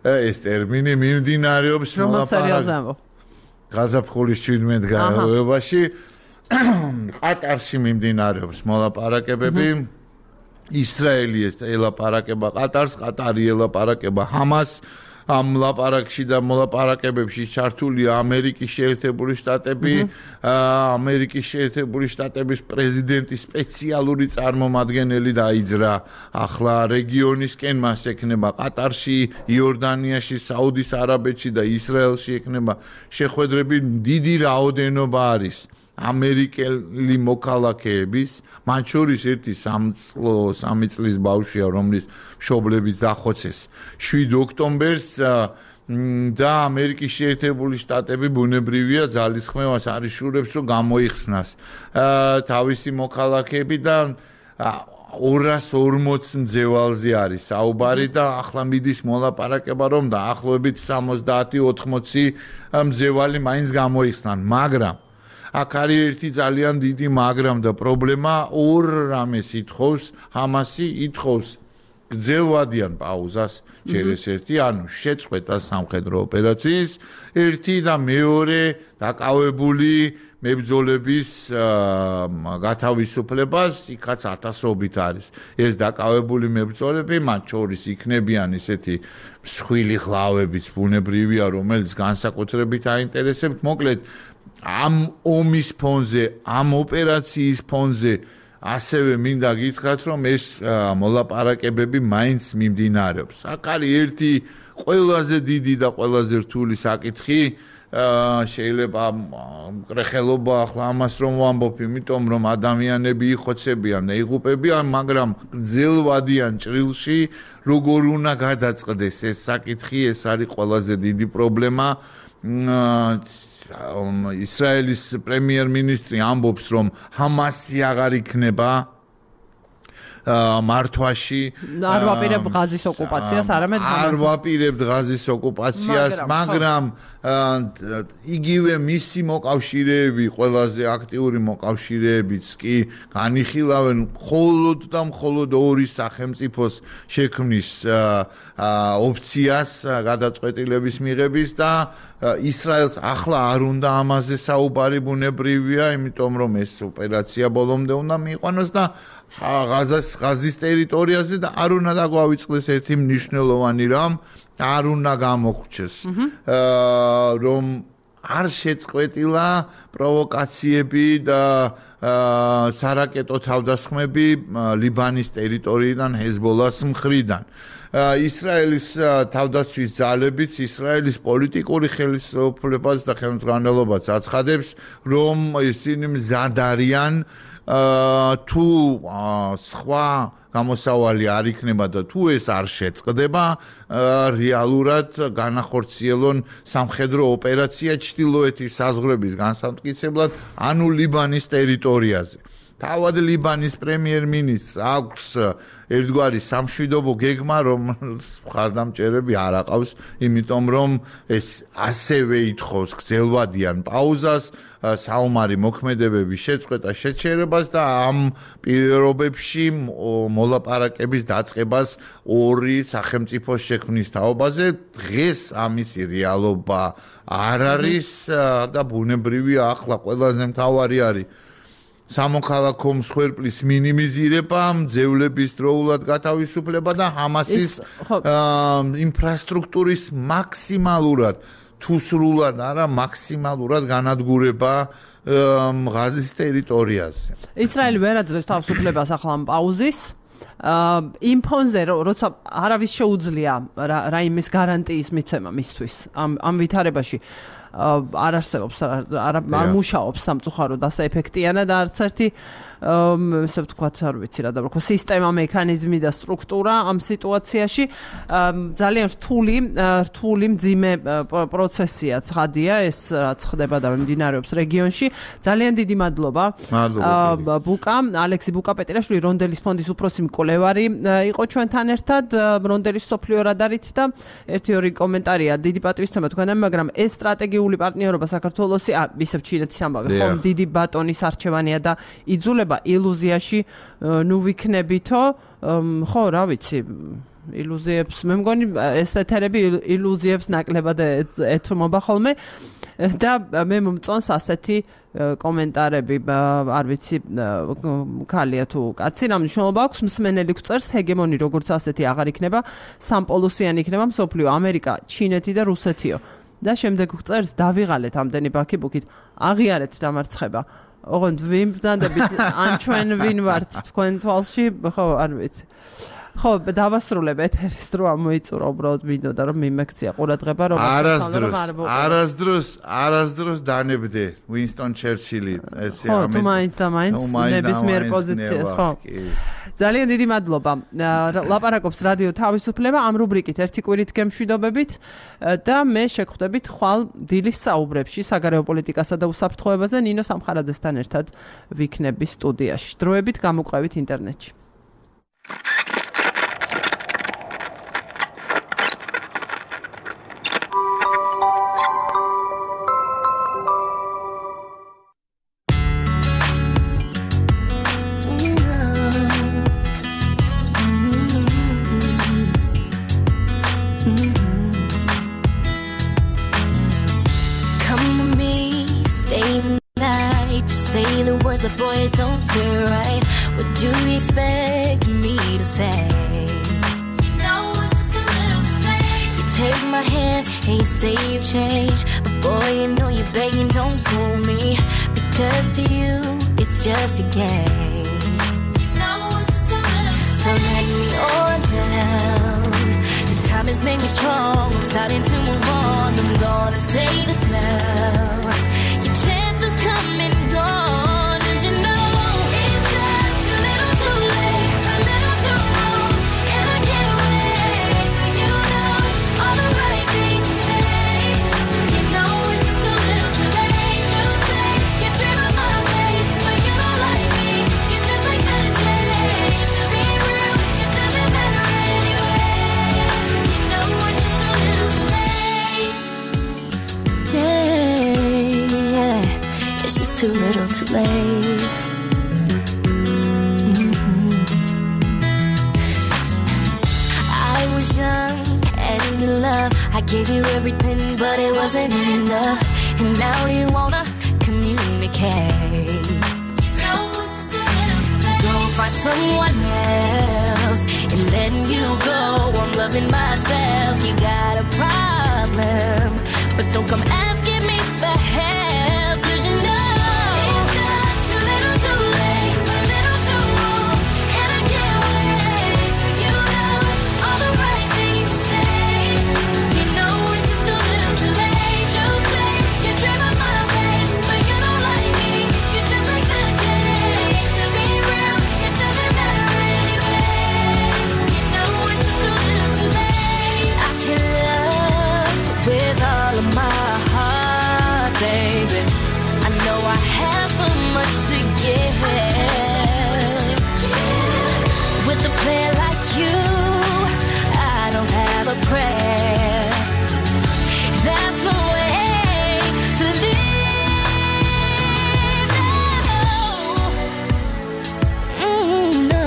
Speaker 2: ეს ტერმინი მიმდინარეობს
Speaker 1: მოლაპარაკებები.
Speaker 2: გაზაფხულის 17 განმავლობაში ყატარში მიმდინარეობს მოლაპარაკებები. ისრაელი ელაპარაკება ყატარს, ყატარი ელაპარაკება ჰამას. ამ ლაპარაკში და მოლაპარაკებებში ჩართულია ამერიკის შეერთებული შტატები, ამერიკის შეერთებული შტატების პრეზიდენტის სპეციალური წარმომადგენელი დაიძრა ახლა რეგიონისკენ, მას ექნება ყატარში, იორდანიაში, საუდის არაბეთში და ისრაელში ექნება შეხვედრები. დიდი რაოდენობა არის ამერიკელი მოქალაქეების, მათ შორის ერთი 3 წლის ბავშვია, რომლის მშობლებიც დახოცეს 7 ოქტომბერს და ამერიკის შეერთებული შტატები ბუნებრივია ძალისხმევას არიშურებს, რომ გამოიხსნას თავისი მოქალაქეები და 240 მძევალზე არის საუბარი და ახლა მიდის მოლაპარაკება, რომ დაახლოებით 70-80 მძევალი მაინც გამოიხსნან, მაგრამ აქ არის ერთი ძალიან დიდი მაგრამ და პრობლემა, ორ რამეს ითხოვს, ჰამასი ითხოვს გრძელვადიან პაუზას, ჯერეს ერთი, ანუ შეწყვეტა სამხედრო ოპერაციის, ერთი და მეორე დაკავებული მებრძოლების გათავისუფლებას, იქაც 1000-ობით არის. ეს დაკავებული მებრძოლები, მათ შორის იქნებიან ისეთი მსხვილი ხლავებიც ბუნებრივია, რომელიც განსაკუთრებით აინტერესებთ, მოკლედ ამ ომის ფონზე, ამ ოპერაციის ფონზე ასევე მინდა გითხრათ, რომ ეს მოლაპარაკებები მაინც მიმდინარეობს. აქ არის ერთი ყველაზე დიდი და ყველაზე რთული საკითხი, შეიძლება მკრეხელობა ახლა ამას რომ ვამბობ, იმიტომ რომ ადამიანები იხოცებიან და იღუპებიან, მაგრამ გრძელვადიან ჭრილში, როგორ უნდა გადაწყდეს ეს საკითხი, ეს არის ყველაზე დიდი პრობლემა. ისრაელის პრემიერ-მინისტრი ამბობს, რომ ჰამასი აღარ იქნება მართვაში,
Speaker 1: არ ვაპირებთ ღაზის ოკუპაციას, არამედ
Speaker 2: არ ვაპირებთ ღაზის ოკუპაციას, მაგრამ იგივე მისი მოკავშირეები, ყველაზე აქტიური მოკავშირეებიც კი განიხილავენ მხოლოდ და მხოლოდ ორი სახელმწიფოს შექმნის ოფციას გადაწყვეტილების მიღების და ისრაელს ახლა არ უნდა ამაზე საუბარი ბუნებრივია, იმიტომ რომ ეს ოპერაცია ბოლომდე უნდა მიიყვანოს და ღაზის ტერიტორიაზე და არ უნდა დაგვავიწყდეს ერთი მნიშვნელოვანი რამ, არ უნდა გამოგვჩეს, რომ არ შეწყვეტილა პროვოკაციები და სარაკეტო თავდასხმები ლიბანის ტერიტორიიდან ჰეზბოლას მხრიდან. ისრაელის თავდაცვის ძალებიც, ისრაელის პოლიტიკური ხელისუფლებას და ხელმძღვანელობაც აცხადებს, რომ ისინი მზად არიან თუ სხვა გამოსავალი არ იქნება და თუ ეს არ შეწყდება, რეალურად განახორციელონ სამხედრო ოპერაცია ჩრდილოეთის საზღვრების განსამტკიცებლად, ანუ ლიბანის ტერიტორიაზე. თავად ლიბანის პრემიერ-მინისტრს აქვს ერთგვარი სამშვიდობო გეგმა, რომელს მხარდამჭერები არ აყავს, იმიტომ რომ ეს ასევე ითხოვს გრძელვადიან პაუზას, საომარი მოქმედებების შეწყვეტა შეჩერებას და ამ პირობებში მოლაპარაკების დაწყებას ორი სახელმწიფოს შექმნის თაობაზე. დღეს ამისი რეალობა არ არის და ბუნებრივია ახლა ყველაზე მთავარი არის სამოქალაქო მსხვერპლის მინიმიზირება, მძევლების დროულად გათავისუფლება და ჰამასის ინფრასტრუქტურის მაქსიმალურად თუ სრულად არა მაქსიმალურად განადგურება ღაზის ტერიტორიაზე.
Speaker 1: ისრაელი ვერ აძლევს თავისუფლებას ახლა ამ პაუზის. იმ ფონზე როცა არავის შეუძლია რაიმის გარანტიის მიცემა მისთვის ამ ვითარებაში არ არსებობს არ მუშაობს სამწუხაროდ ასე ეფექტიანად არც ერთი ესე ვთქვათ, არ ვიცი რა დავარქვა, სისტემა, მექანიზმი და სტრუქტურა ამ სიტუაციაში ძალიან რთული მძიმე პროცესია ცხადია ეს რაც ხდება და მიმდინარეობს რეგიონში. ძალიან დიდი მადლობა. ბუკა, ალექსი ბუკა-პეტრიაშვილი, რონდელის ფონდის უფროსი მკვლევარი იყო ჩვენთან ერთად. რონდელის სოფლიო რადარით და ერთი-ორი კომენტარია. დიდი პატივისცემა თქვენამ, მაგრამ ეს სტრატეგიული პარტნიორობა საქართველოსი, ისევ ჩინეთის ამბავი, ხომ დიდი ბატონის არჩევანია და იძულება ილუზიაში ნუ ვიქნებითო ხო რა ვიცი ილუზიებს მე მგონი ეს ეთერები ილუზიებს ნაკლებად ეთმობა ხოლმე და მე მომწონს ასეთი კომენტარები არ ვიცი ქალია თუ კაცი რა მნიშვნელობა აქვს მსმენელი გვწერს ჰეგემონი როგორც ასეთი აღარ იქნება სამპოლუსიანი იქნება მსოფლიო ამერიკა ჩინეთი და რუსეთიო და შემდეგ გვწერს დავიღალეთ ამდენი ბაქიბუქით აღიარეთ დამარცხება ოღონდ ვინ ბრძანდებით ან ჩვენ ვინ ვართ თქვენ თვალში ხო არ ვიცი ხო დავასრულებ ეთერის დრო ამოიწურა უბრალოდ მინდოდა რომ მიმექცია ყურადღება რომ
Speaker 2: არასდროს დანებდე უინსტონ ჩერჩილი ესე
Speaker 1: ამით ხო მაინც ნებისმიერ პოზიციას ხო ძალიან დიდი მადლობა ლაპარაკობს რადიო თავისუფლება ამ რუბრიკით ერთი კვირით გემშვიდობებით და მე შეგხვდებით ხვალ დილის საუბრებში საგარეო პოლიტიკასა და უსაფრთხოებაზე ნინო სამხარაძესთან ერთად ვიქნები სტუდიაში დროებით გამოყვებით ინტერნეტში
Speaker 3: But boy, it don't feel right. What do you expect me to say? You know it's just a little too late. You take my hand and you say you've changed. But boy, you know you're begging, don't fool me. Because to you, it's just a game. You know it's just a little too late. So let me on down. This time has made me strong. I'm starting to move on. I'm gonna say this now. Your chances come and go. Too little, too late. I was young and in love. I gave you everything, but it wasn't enough. And now you wanna communicate. You know it's just a little too late. Go find someone else and letting you go. I'm loving myself. You got a problem, but don't come asking me for help, 'cause you know. With a player like you, I don't have a prayer. That's the way to live. No,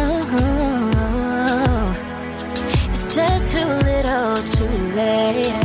Speaker 3: it's just too little, too late.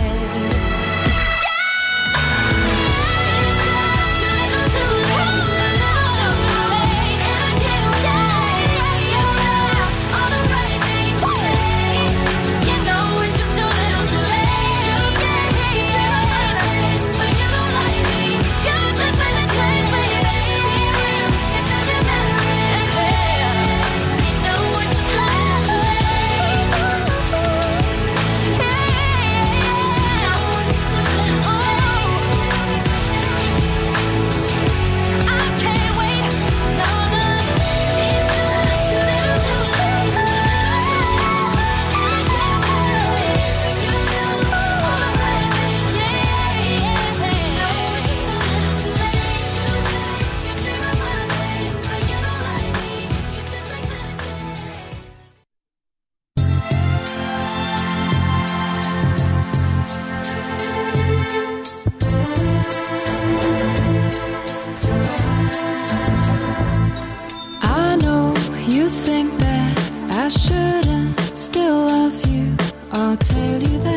Speaker 3: I'll tell you that